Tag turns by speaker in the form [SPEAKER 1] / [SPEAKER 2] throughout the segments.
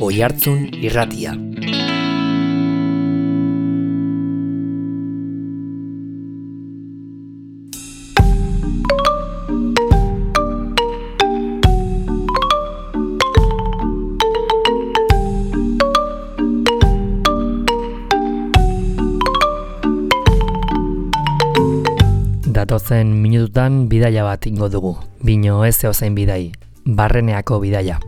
[SPEAKER 1] Oihartzun Irratia. Datozen minututan bidaia bat ingo dugu. Bino ez zeozein bidai, Barreneako bidaia.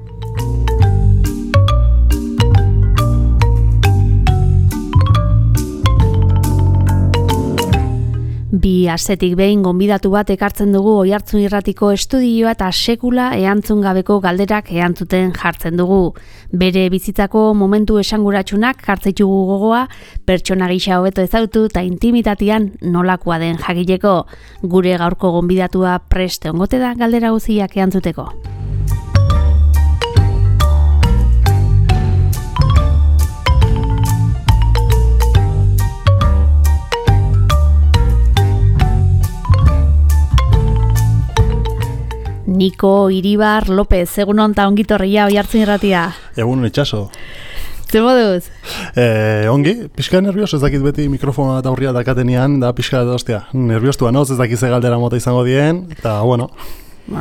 [SPEAKER 2] Bi astetik behin gonbidatu bat ekartzen dugu Oihartzun Irratiko estudioa eta sekula erantzun gabeko galderak erantzuten jartzen dugu. Bere bizitzako momentu esanguratsunak jartzaitugu gogoa, pertsona gisa hobeto ezagutu eta intimitatean nolakoa den jakiteko. Gure gaurko gonbidatua prest egongote da galdera guztiak erantzuteko. Niko Iribar López, egunon eta ongitorria Oihartzun Irratia.
[SPEAKER 3] Egunon itxaso.
[SPEAKER 2] Zer moduz?
[SPEAKER 3] Ongi, pixka nervioso, ez dakit beti mikrofona eta aurria dakatenean, da pixka edo ostia. Nerviostua noz, ez dakit ze galdera mota izango dien, eta bueno.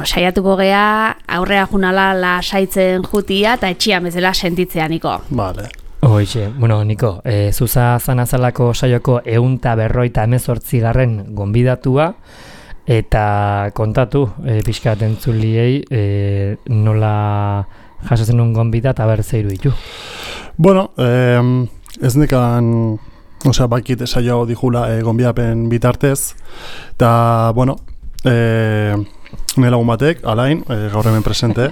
[SPEAKER 2] Saiatuko gea, aurrea junala lasaitzen jutia eta etxian bezala sentitzea, Niko.
[SPEAKER 3] Vale.
[SPEAKER 1] Hoixe, bueno, Niko, zuza zanazalako saioko 158. Gonbidatua, eta kontatu, pixka bat entzuliei, nola jasotzen un gonbida eta berzeiru ditu.
[SPEAKER 3] Bueno, ez nekan, bakit saio dijula gonbidapen bitartez, eta, bueno, nire lagun batek, Alain, gaur hemen presente,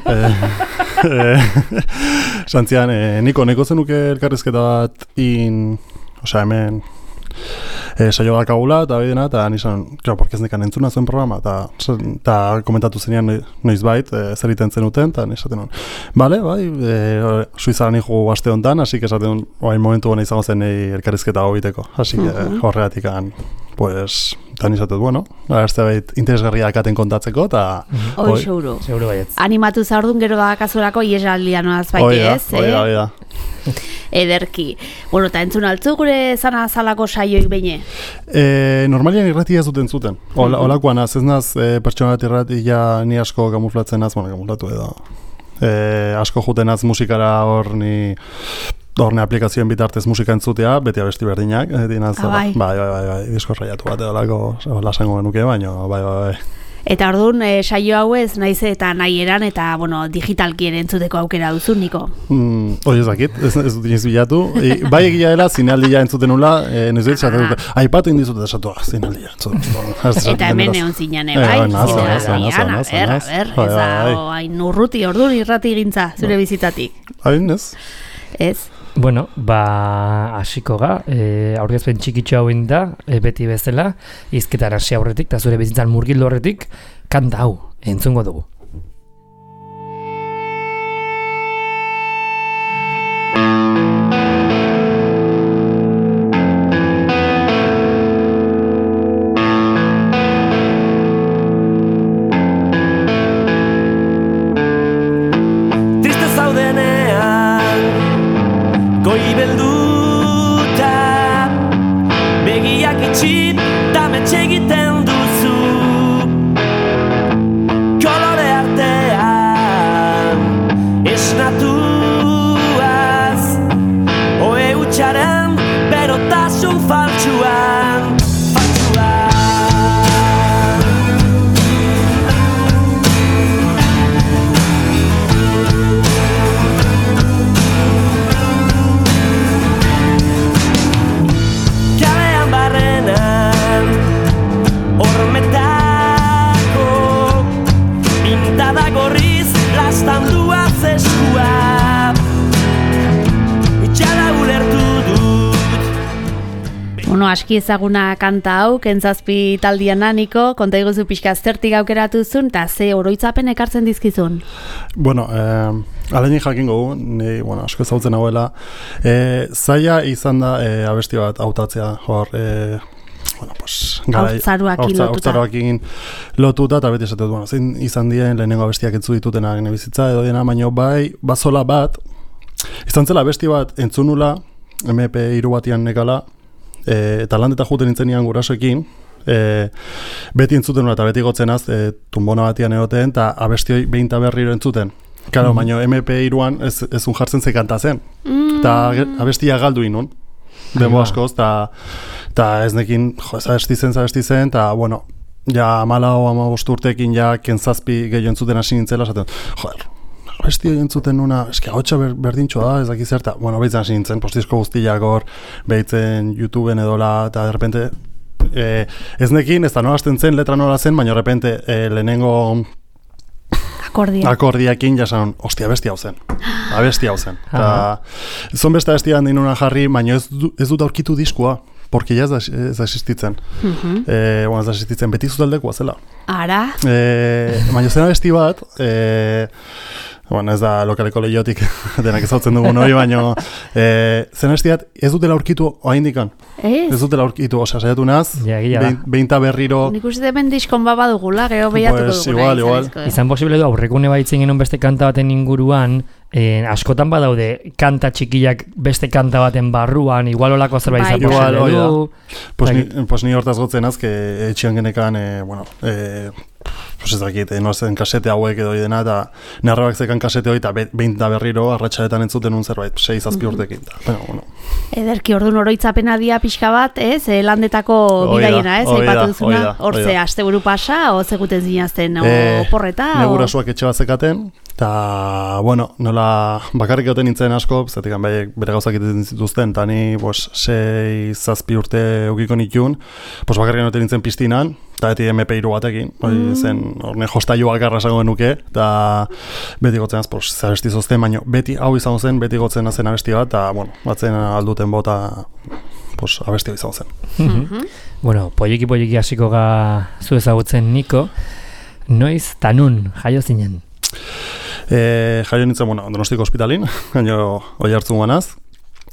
[SPEAKER 3] santzian, Niko, neko zenuke elkarrizketa bat hemen, saio dakagula eta bidena, eta nizan, porque ez nekan entzuna zuen programa, eta komentatu zenean noizbait, zer iten zenuten, eta nizaten hon. Bale, bai, Suizara nijo aste honetan, hasi que esaten momentu gona izango zen elkarrizketa hau biteko, hasi horregatik pues, eta nizaten, bueno, agertzea bait interesgarria dakaten kontatzeko, eta...
[SPEAKER 2] Hoi, seguru.
[SPEAKER 1] Seguru baietz.
[SPEAKER 2] Animatu zaurdun gero bakazurako iesaldia noaz baiti ez,
[SPEAKER 3] Oida.
[SPEAKER 2] Ederki. Bueno, eta entzun altzu gure zanazalako saioik beine?
[SPEAKER 3] Normalian irratia ez duten zuten. Olakoan az, ez naz, pertsona bat irratia ni asko kamuflatzen az, kamuflatu edo. Asko juten az musikara horne aplikazioen bitartez musika entzutea, beti abesti berdinak. Bai, disko raiatu bat edo lako lasango genuke, baina bai.
[SPEAKER 2] Eta orduan, saio hau ez, naiz eta nahi eran, eta, bueno, digitalkien entzuteko aukera duzu, Niko?
[SPEAKER 3] Hori ez dakit, ez dut iniz bilatu. Bai egia dela, zinaldia entzuten nula, noiz dut, aipatu indizut esatu, zinaldia entzuten.
[SPEAKER 2] Eta hemen egon zinean, bai? Ez da, hain urruti, orduan irrati gintza, zure bizitatik.
[SPEAKER 3] Hain ez?
[SPEAKER 2] Ez?
[SPEAKER 1] Bueno, hasiko ga, aurkezpen txikitxo hau da, beti bezala, hizketan hasi aurretik, eta zure bizitzan murgildu horretik, kanta hau, entzungo dugu.
[SPEAKER 2] Aski ezaguna kanta hau, Kentzazpi taldiana, Niko, konta iguzu pixka zertik aukeratu zuen, eta ze oroitzapen ekartzen dizkizun?
[SPEAKER 3] Bueno, alenik jakingo gu, asko ezagutzen hauela, zaila izan da abesti bat hautatzea, hor, haurtzaroakin lotuta, eta beti esatet, zein izan dien lehenengo abestiak entzu ditutena gene bizitza, edo dena, baino bai, bazola bat, izan zela besti bat entzunula, MP3 batian nekala, eta landeta juten nintzen nian gurasoekin, beti entzuten eta beti gotzenaz, tumbona batian egoten, eta abestioi behin eta berriro entzuten. Claro, baina MP3an ez jartzen ze kanta zen. Eta abestia galdu inun. Demo askoz, eta ez nekin, zabesti zen, eta, bueno, ja 14-15 urteekin ja kentzazpi gehiago entzuten hasi nintzela, esaten, joder, abesti entzuten nuna, eski ahotsa berdintxoa da, ez dakiz zerta, bueno, behitzen hasi nintzen, postizko guztiak hor, behitzen YouTubeen edola, eta de repente, ez nekin, ez da nola hasten zen, letra nola zen, baina de repente, lehenengo akordiakin jasan, ostia, abesti hau zen. Zon beste abestia handi nuna jarri, baina ez dut aurkitu diskoa, porque ya ez da existitzen. Bueno, ez da existitzen, beti zutaldekoa zela.
[SPEAKER 2] Ara?
[SPEAKER 3] Baina zen abesti bat, bueno, ez da lokaleko lehiotik denak ezautzen dugun hori, baina zen abesti bat ez dutela aurkitu oaindikan. Ez dutela aurkitu, osea, saiatu naz, behinta berriro...
[SPEAKER 2] Nik uste hemen diskon baba dugula, gero behiatuko dugula.
[SPEAKER 3] Igual.
[SPEAKER 1] Izan posible du, aurrekune baitzen genuen beste kanta baten inguruan, askotan badaude kanta txikiak beste kanta baten barruan, igual olako zerbait izan posible du.
[SPEAKER 3] Pues ni hortaz gotzen azke etxian genekan, bueno, pues ez dakit, noazen kasete hauek edo dena, eta narrabak zekan kasete hori, eta behin da berriro, arratxaretan entzuten un zerbait, 6-7 urtekin. Bueno.
[SPEAKER 2] Ederki, orduan oroitzapena dia pixka bat, landetako bidaiena, aipatu duzuna, hortze, asteburu pasa, o zeguten zinazten, oporreta,
[SPEAKER 3] negurasuak etxe bat zekaten, eta, bueno, nola bakarrik egoten nintzen asko, zetik bere gauzak egiten zituzten, eta ni 6-7 urte eukiko nitun, bakarrik egoten nintzen piztinan, eta beti MP3 batekin, zen horne jostailua garra esango genuke, eta beti gotzen az, zabesti zozten, baina beti hau izango zen, beti gotzen zen abesti bat, eta, bueno, batzen alduten bota, abesti hau izango zen.
[SPEAKER 1] Bueno, poliki hasiko ga zu ezagutzen Niko, noiz tanun jaio zinen?
[SPEAKER 3] Jaio nintzen, bueno, Donostiko ospitalin, gaino oi hartzun guanaz,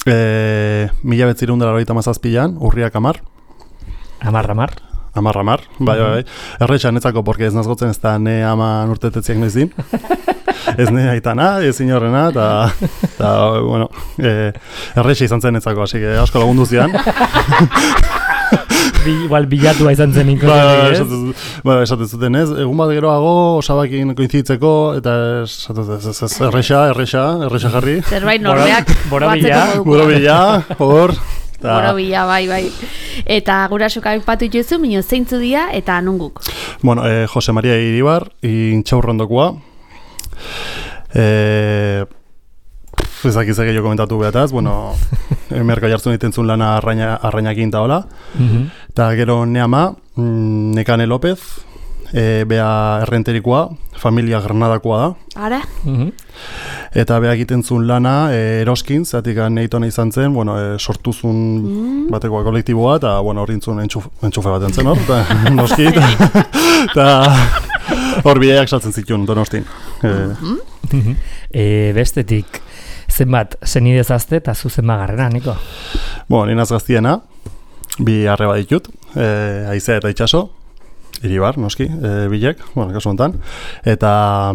[SPEAKER 3] 1997an, urriak 10. Amar, bai. Erretxan netzako, porque ez nazgotzen ez da ne ama urtetetziak noizin. Ez ne aitana, ez inorrena, eta bueno, erretxa izan zen netzako, así que asko lagundu zian.
[SPEAKER 1] Igual bilatua izan zen inko.
[SPEAKER 3] Esaten zuten ez, egun bat geroago, osabakin koinzitzeko, eta erretxa jarri.
[SPEAKER 2] Zerbait norbeak.
[SPEAKER 3] Borobila, hor.
[SPEAKER 2] Borobila, bai. Eta gurasoak aipatu dituzu, mino zeintzu dira eta nunguk?
[SPEAKER 3] Bueno, Jose Maria Iribar, intxaurrondokoa. Ez dakiz gehiago komentatu behataz, bueno, merka jartzen ditentzun lana arrainakin eta hola. Eta gero neama, Nekane López, bea errenterikoa, familia Granadakoa da.
[SPEAKER 2] Ara?
[SPEAKER 3] Eta beha egiten zuen lana eroskin, zatik nahitona izan zen, bueno, sortuzun batekoa kolektiboa, eta bueno, hori intzun entxufe bat entzen hor, eta noski, eta hor bideiak saltzen zituen Donostin.
[SPEAKER 1] Bestetik, zenbat zenidez azte eta zu zenbat garrera, Niko?
[SPEAKER 3] Bueno, ninaz gaztiena, bi arreba ditut, Aizea eta Itxaso, Iribar, noski, bilek, bueno, kasu honetan, eta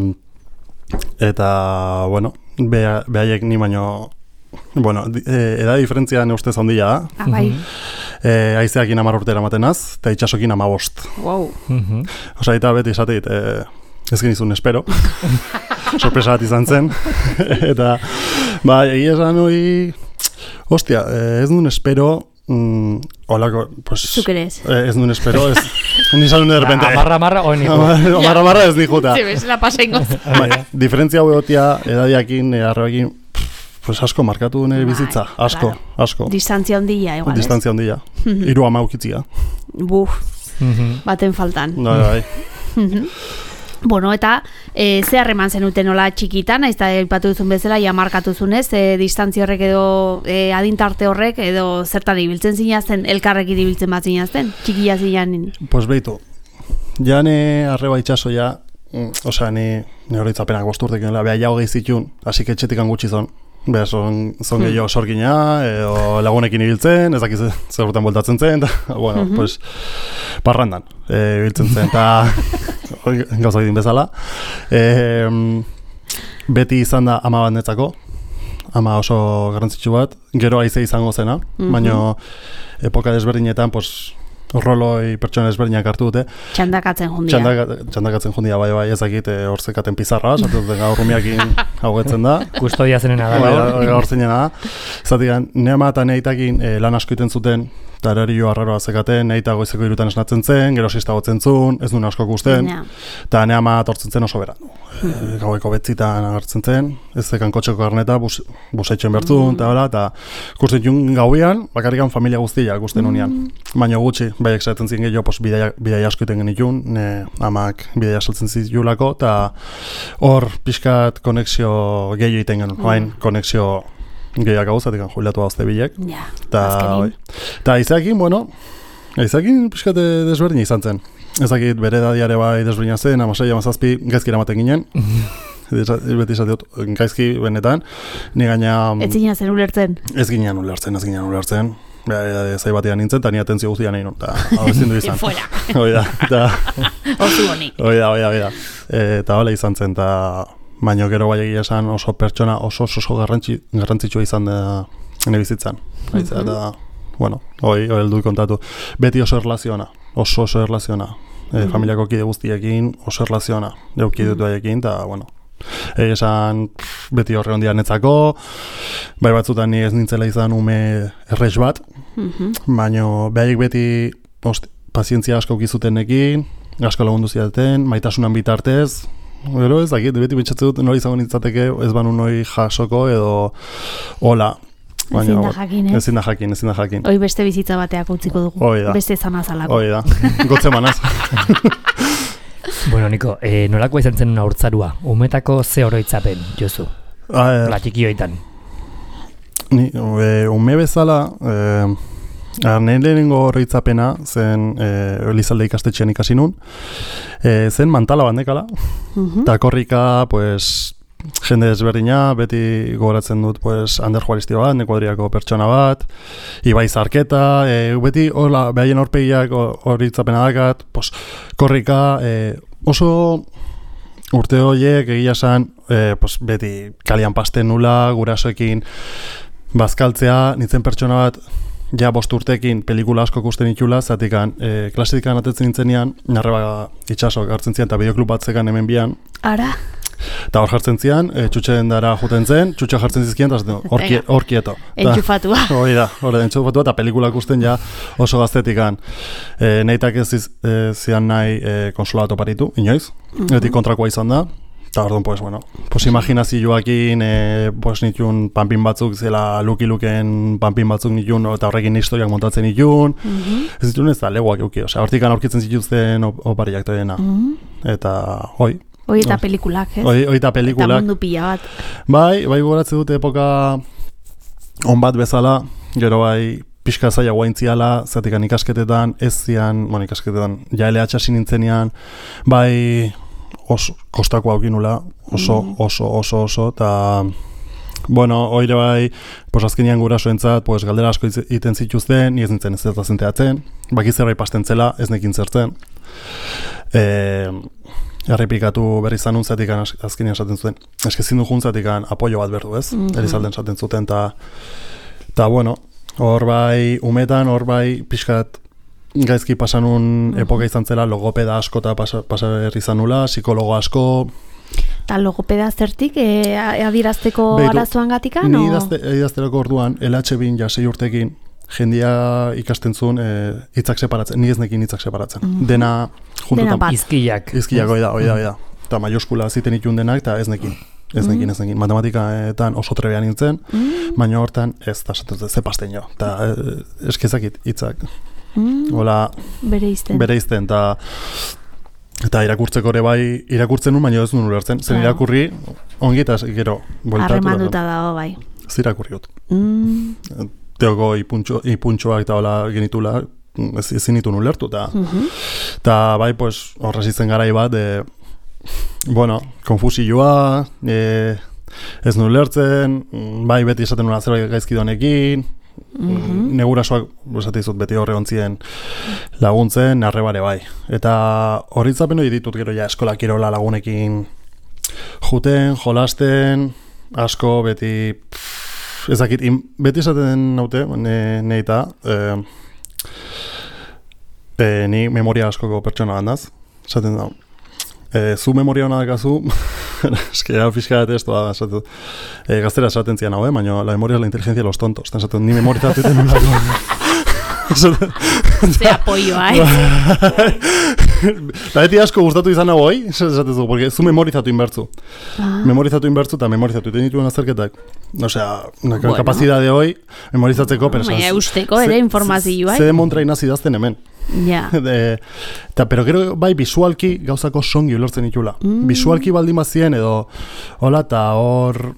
[SPEAKER 3] bueno, behaiek ni baino, bueno, edad diferentzia ustez handia da.
[SPEAKER 2] Bai.
[SPEAKER 3] Aizeakin 10 urtera matenaz, eta Itxasokin 15.
[SPEAKER 2] Wow.
[SPEAKER 3] Osa, eta beti esateit, ez genizun espero. Sorpresa bat izan zen. Eta, egia esan hori, hostia, ez duen espero, holako, pues...
[SPEAKER 2] Zukerez.
[SPEAKER 3] Ez duen espero, ez... Nizan de repente...
[SPEAKER 1] Amarra, oen nijo.
[SPEAKER 3] Amarra ez nijuta.
[SPEAKER 2] Zibes, la pasa ingoz.
[SPEAKER 3] Diferentzia hueotia, edadiakin, arrebakin, pues asko markatu nire bizitza. Asko.
[SPEAKER 2] Distantzia ondila, igual,
[SPEAKER 3] Distantzia ondila. 30 ukitzia.
[SPEAKER 2] Buf, baten faltan.
[SPEAKER 3] Bai.
[SPEAKER 2] Bueno, eta ze harreman zenuten nola txikitan, naiz eta aipatu duzun bezala, ja markatu zunez, distantzia horrek edo adintarte horrek edo zertan ibiltzen zinazten, elkarrekin ibiltzen bat zinazten, txikia zinanin?
[SPEAKER 3] Pues beitu, ja ne arreba Itxaso ja, osea, ni horitzapenak 5 urtekin, beha jau gehi zitun, hasi etxetikan gutxi zon. Beha, zon gehiago sorgina, edo lagunekin ibiltzen, ez dakiz zer urtean boltatzen zen, eta, bueno, pues, parrandan ibiltzen zen, eta gauzak egin bezala. Beti izan da ama bat netzako, ama oso garrantzitsu bat, gero haize izango zena, baina epoka desberdinetan, roloi pertsona desberdinak hartu dute.
[SPEAKER 2] Txandakatzen jundia.
[SPEAKER 3] Txandakatzen jundia, bai, ezakit, hor zekaten pizarra, zatuten gaur rumiakin haugetzen da.
[SPEAKER 1] Kustodia zenena da,
[SPEAKER 3] gaur zenena da. Zatik, neama eta neitakin lan asko iten zuten, eta erario arraroa zekaten, neita goizeko 3 esnatzen zen, gero 6 gotzen zuen, ez duen asko gusten, eta neama tortzen zen oso beran. Gaueko 9 agertzen zen, ez zekan kotxeko garneta, busaitxen bertzun, eta kusten jun gauian, bakarrikan familia guztia gusten unian. Baina gutxi, baiek zaten ziren gehiago, bidai asko iten genitun, amak bidai saltzen zitulako, eta hor pixkat konexio gehiago iten genuen, hain konexio gehiak hau, zatekan jubilatu hauzte bilek. Eta izakin, izakin pixkat desberdin izan zen. Ezakit bere dadiare bai desberdina zen, 16-17 gaizki eramaten ginen. Beti izateot, gaizki benetan. Ni gaina...
[SPEAKER 2] Ez ginen zen ulertzen?
[SPEAKER 3] Ez ginen ulertzen. Zai batean nintzen, eta ni atentzio guztian nahi nun, eta hau ezin du izan.
[SPEAKER 2] Fuera.
[SPEAKER 3] Osu honi. Oida. Eta hola izan zen, eta baina gero bai egia esan oso pertsona oso garrantzitsua izan da nire bizitzan. Eta, hoi heldu kontatu. Beti oso erlaziona, oso erlaziona. Familiako kide guztiekin oso erlaziona. Eukide dut baiekin, eta, esan beti horre ondia netzako, bai batzutan ni ez nintzela izan ume errex bat, baina behaiek beti pazientzia asko ukizutenekin, asko lagundu zidaten, maitasunan bitartez, gero ez dakit, beti betxatzen dut nori izango nintzateke ez banu noi jasoko edo hola. Ezin da jakin.
[SPEAKER 2] Hoi beste bizitza bateak utziko dugu, beste zanazalako.
[SPEAKER 3] Hoi da, gotze manaz.
[SPEAKER 1] Bueno, Niko, nolako izan zen una urtzarua? Umetako ze oroitzapen, Josu? Latikioetan.
[SPEAKER 3] Ume bezala, nire lehenengo oroitzapena zen Elizalde ikastetxean ikasi nun. Zen mantala bandekala, eta korrika, jende desberdina, beti gogoratzen dut Ander Juaristi bat, Nekuadriako pertsona bat, Ibai Zarketa, beti behaien horpegiak horitzapena dakat, korrika, oso urte horiek egia esan, beti kalian pasten nula, gurasoekin bazkaltzea, nintzen pertsona bat, ja 5 urtekin pelikula asko ikusten itxula, zatikan klasetikan atetzen nintzenean, Narreba itxasok hartzen zian, eta bideoklub batzekan hemen bian.
[SPEAKER 2] Ara?
[SPEAKER 3] Eta hor jartzen zian, txutxen dara juten zen, txutxa jartzen zizkian, eta hor kieto.
[SPEAKER 2] Entxufatua.
[SPEAKER 3] Hori da, entxufatua, eta pelikulak usten ja oso gaztetikan. Neitak ez zian nahi konsola bat oparitu, inoiz, etik kontrakoa izan da. Eta orduan, imaginazioakin, nitun panpin batzuk, zela luki-luken panpin batzuk nitun, eta horrekin historiak montatzen nitun. Ez nitun ez da, legoak euki, hortikan aurkitzen zituzten opariak toiena. Eta, hoi.
[SPEAKER 2] Hoi eta pelikulak, ez?
[SPEAKER 3] Hoi eta pelikulak.
[SPEAKER 2] Eta mundu pila bat.
[SPEAKER 3] Bai gogoratzen dute epoka on bat bezala, gero bai pixka zaila guaintziala, zatikan ikasketetan, ez zian, ikasketetan, ja LH hasi nintzenean, bai kostako haukinula, oso, eta, oire bai, azkenean gurasoentzat, galdera asko iten zituzten, ni ez nintzen ez da zenteatzen, bakizerra ipasten zela, ez nekin zertzen. Errepikatu berri zanun zatikan azkenean esaten zuten. Eskezin du juntzatikan apoio bat berdu, ez? Elizalden esaten zuten, eta hor bai umetan, hor bai pixkat gaizki pasanun epoka izan zela, logopeda asko eta pasaberri zanula, psikologo asko.
[SPEAKER 2] Eta logopeda zertik, adierazteko arazoan gatika?
[SPEAKER 3] Ni idazterako orduan, LH-bin ja 6 urtekin, jendia ikasten zuen hitzak separatzen, ni ez nekin hitzak separatzen. Dena juntutan.
[SPEAKER 1] Izkiak.
[SPEAKER 3] Izkiak, oida. Eta maioskula ziten itun denak, eta ez nekin. Matematikaetan oso trebean nintzen, baina hortan ez da ze pasten jo. Eta eskezakit hitzak. Hola, bere izten, eta irakurtzeko ere bai, irakurtzen nun, baina ez nuen ulertzen. Zen irakurri, ongi eta gero, bueltatu.
[SPEAKER 2] Harremanduta dago bai.
[SPEAKER 3] Ez irakurri gut. Teoko ipuntxoak eta hola genitula, ezin nitu nulertu, eta bai, horrez izen garai bat, konfusioa, ez nulertzen, bai, beti esaten nuen zerbait gaizki donekin, negurasoak, esatizut, beti horre ontzien laguntzen, arrebare bai. Eta horritzapen hori ditut gero ja eskola kirola lagunekin juten, jolasten, asko, beti ezakit, beti esaten naute, neita, ni memoria askoko pertsona handaz, esaten da. Zu memoria hona dakazu, eske hau fiskala testoa da, esaten, gaztera esaten zian hau, baina la memoria es la inteligencia de los tontos, esaten, ni memorizatu iten nula.
[SPEAKER 2] Ze apoioa,
[SPEAKER 3] Eta beti asko gustatu izan hau hoi, esatezu, porque zu memorizatu inbertzu. Memorizatu inbertzu eta memorizatu iten dituen azerketak. Osea, kapazidade hoi, memorizatzeko, pero
[SPEAKER 2] eusteko ere informazioa.
[SPEAKER 3] Zede montra inazi dazten hemen.
[SPEAKER 2] Ja.
[SPEAKER 3] Pero gero bai visualki gauzako songi ulertzen itula. Visualki baldin bazien edo hola eta hor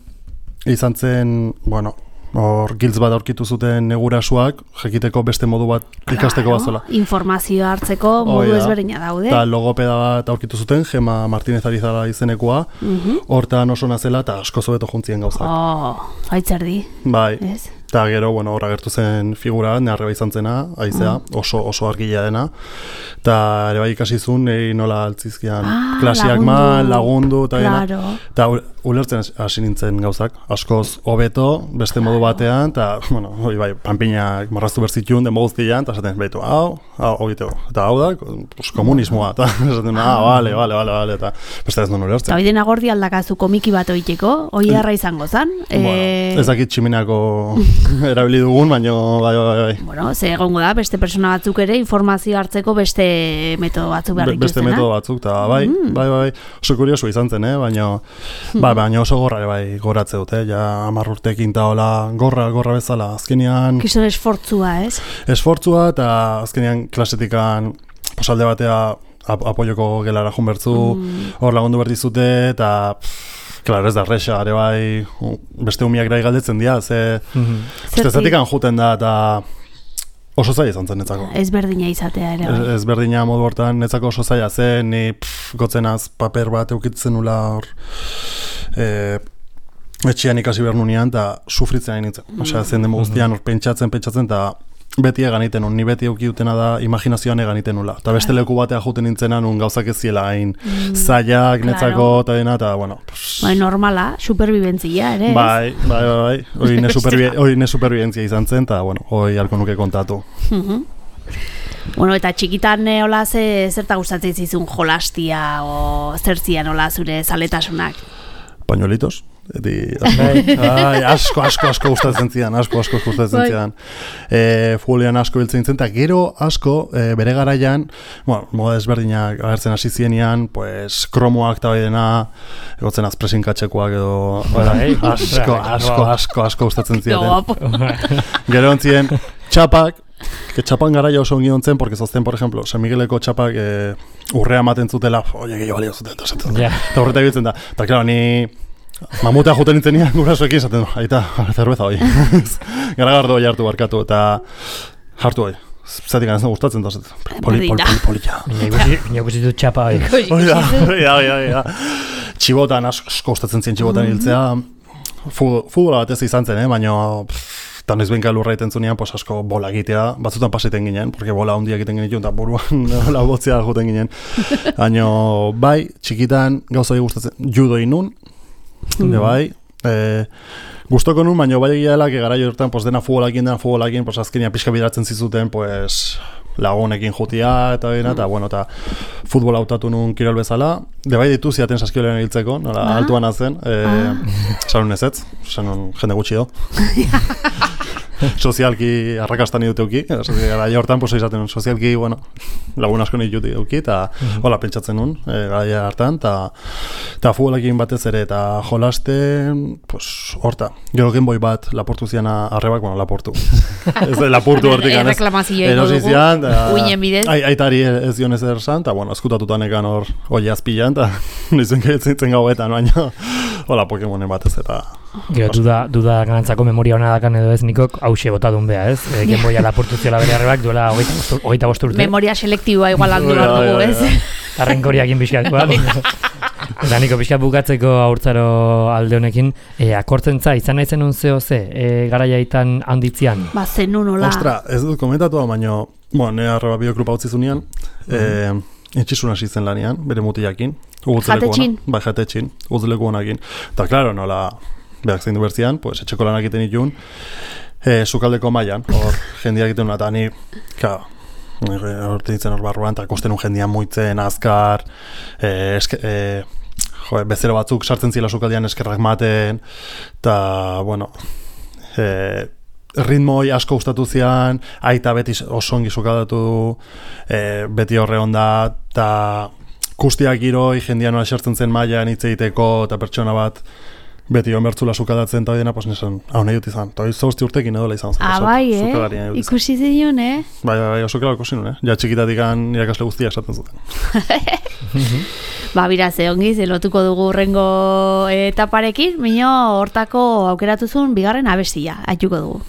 [SPEAKER 3] izan zen, bueno, hor giltz bat aurkitu zuten negurasuak, jakiteko beste modu bat ikasteko bazela.
[SPEAKER 2] Informazioa hartzeko modu ezberdina daude.
[SPEAKER 3] Eta logopeda bat aurkitu zuten, Gema Martínez Arizala izenekoa, hortan oso nazela eta asko zobeto juntzien gauzak.
[SPEAKER 2] Aitzerdi.
[SPEAKER 3] Bai. Eta gero, bueno, hor agertu zen figura, neharreba izan zena, aizea, oso argila dena. Eta ere bai ikasizun, nola altzizkian klasiak lagundu, eta dena. Eta ulertzen hasi nintzen gauzak, askoz hobeto, beste modu batean, eta, bueno, hori bai, panpinak marraztu berzitun, den guztian, eta esaten, behitu, hau eta hau da, komunismoa, eta esaten, bale, eta beste ez non ulertzen.
[SPEAKER 2] Eta hori dena gordi aldakazu komiki bat oiteko, hori harra izango zan?
[SPEAKER 3] Ez dakit tximinako erabili dugun, baina bai.
[SPEAKER 2] Bueno, ze egongo da, beste persona batzuk ere informazio hartzeko beste metodo batzuk behar dituztena.
[SPEAKER 3] Beste metodo batzuk, eta bai, oso kurioso izan zen, baina oso gorra bai goratze dute, ja 10 urtekin eta hola gorra bezala, azkenean...
[SPEAKER 2] Kizon esfortzua, ez?
[SPEAKER 3] Esfortzua, eta azkenean klasetikan posalde batea apoioko gelara jun bertzu, hor lagundu bertizute, eta... Claro, ez da resa, ere bai, beste umiak gai galdetzen dira, zatikan juten da, eta oso zaila izan zen netzako.
[SPEAKER 2] Ezberdina izatea ere bai.
[SPEAKER 3] Ezberdina modu hortan netzako oso zaila zen, ni gotzenaz paper bat eukitzen nula hor, etxean ikasi behar nunean, eta sufritzen hain nintzen. Osea, zen demo guztian hor pentsatzen, eta beti egan iten ni beti eukiutena da imaginazioan egan iten nula. Eta beste leku batea juten nintzenan, gauzak ez ziela hain zailak, netzako, eta dena, eta, bueno...
[SPEAKER 2] Bai, normala, superbibentzia, ere, ez?
[SPEAKER 3] Bai, hori ne superbibentzia izan zen, eta, bueno, hori halko nuke kontatu.
[SPEAKER 2] Bueno, eta txikitan hola zerta gustatzen zizun jolastia, o zertzian hola zure zaletasunak?
[SPEAKER 3] Pañuelitos. Asko gustatzen zian, futbolean asko biltzen zen, eta gero asko bere garaian, moda ezberdinak agertzen hasi zienean, pues kromoak eta bai dena, egotzen azpresinkatxekoak edo, asko gustatzen ziaten. Gero ontzien, txapak, txapan garaia oso ongi ontzen, porque zozten, por ejemplo, San Migueleko txapak urrea maten zutela, gehiago balio zuten, eta horretak biltzen da, eta klaro, ni... Mamutea juten nintzen nian gurasoekin esaten, aita, zerbeza hoi. Garagardo hoi hartu barkatu, eta hartu hoi. Zatik ez da gustatzen da, polilla.
[SPEAKER 1] Ina guzitu txapa hoi.
[SPEAKER 3] Oida. Txibotan, asko gustatzen zien txibotan hiltzea. Futbola batez izan zen, baina... Eta noiz benka lurra egiten zunean, asko bola egitea, batzutan paseten ginen, porque bola hondia egiten genituen, eta buruan bola botzea juten ginen. Baina, bai, txikitan gauza hori gustatzen, judo inun, bai, gustoko nun, baina bai egia dela, garaio hortan, dena futbolakin, azkenia pixka bideratzen zizuten, lagunekin jutia, eta bueno, eta futbol hautatu nun kirol bezala, bai ditu ziaten saskiolean hiltzeko, nola, altuan azen, sanun ezetz, sanun jende gutxi do. Sozialki arrakastan idute euki, gara hortan izaten sozialki, bueno, lagun asko nit juti euki, eta hola pentsatzen nun, gara hartan, eta futbolakin batez ere, eta jolasten, horta, gero genboi bat laportu zian arrebak, bueno, laportu. Ez lapurtu hortik, erosizian, aitari ez dion ez erzan, eta, bueno, eskutatutan ekan hor oi azpilan, eta nizuen gaitzen gauetan, baina, hola, Pokemonen batez, eta...
[SPEAKER 1] Gero, duda ganantzako memoria hona dakan edo ez nikok hause botadun beha, ez? Genboia lapurtu ziola bere arrebak duela 25 urte.
[SPEAKER 2] Memoria selektiboa igual handu behar dugu, ez?
[SPEAKER 1] Arrenkoriakin pixkat, eta niko pixkat bukatzeko haurtzaro alde honekin, akortzentza izan nahi zenun zeo ze, garaiaitan handitzian?
[SPEAKER 2] Ba, zenun hola.
[SPEAKER 3] Ostra, ez dut komentatu, baina, nire arreba biokrupa utzi zunean, etxizun hasi zen lanean, bere mutiakin.
[SPEAKER 2] Jatetxin?
[SPEAKER 3] Bai, jatetxin, uzleku honakin. Eta, klaro, nola, berak zein du bertzian, pues, etxeko lanak egiten ditun, sukaldeko mailan, hor jendeak egiten eta ni, horte ditzen hor barruan, eta kosten jendean muitzen, azkar, bezero batzuk sartzen zila sukaldean eskerrak maten, eta, bueno, ritmoi asko gustatu zian, aita beti oso ongi sukaldatu du, beti horre onda, eta kustiak giroi, jendean nola sartzen zen mailan hitz egiteko, eta pertsona bat, beti onbertzula sukaldatzen eta dena, pues nesan, hau nahi dut izan. Eta 8 urtekin edola izan zen.
[SPEAKER 2] Bai, ikusi zion,
[SPEAKER 3] Bai, oso kela ikusi nun, Ja txikitatik irakasle guztia esaten zuten.
[SPEAKER 2] Bira, ze ongi, lotuko dugu urrengo etaparekin, mino hortako aukeratuzun bigarren abestia, aituko dugu.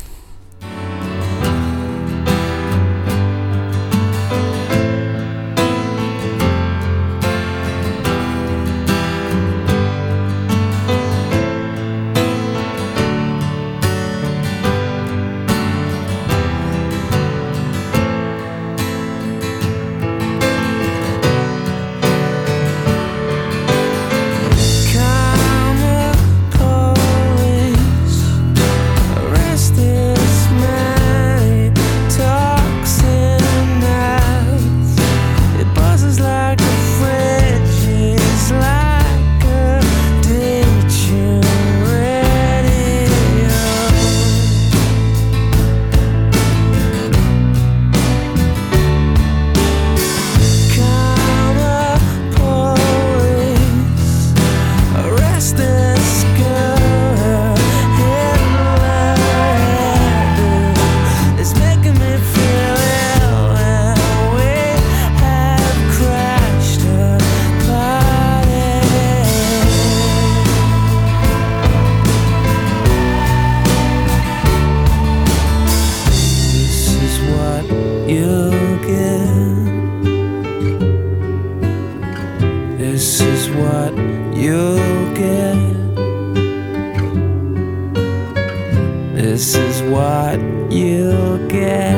[SPEAKER 4] This is what you'll get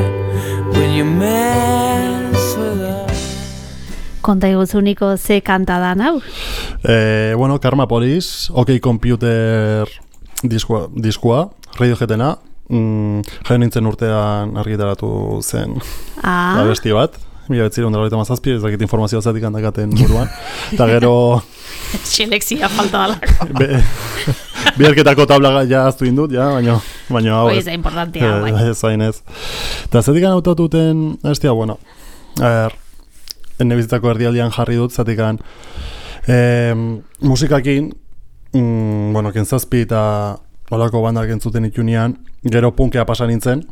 [SPEAKER 4] when you mess with us.
[SPEAKER 2] Konta iguzuniko ze kanta da nau?
[SPEAKER 3] Bueno, Karma Police, OK Computer diskoa, Radioheadena, jaio nintzen urtean argitaratu zen abesti bat, 1997, ez dakit informazio zatik handakaten buruan, eta gero...
[SPEAKER 2] Selekzia falta dalako.
[SPEAKER 3] Biarketako tabla ja aztu indut, baina hau
[SPEAKER 2] ez da importantia, bai.
[SPEAKER 3] Ez hain ez. Eta zatik hautatuten, bueno, ene bizitzako erdialdian jarri dut, zatik musikakin, bueno, kentzazpi eta olako bandak entzuten itunean, gero punkea pasa nintzen,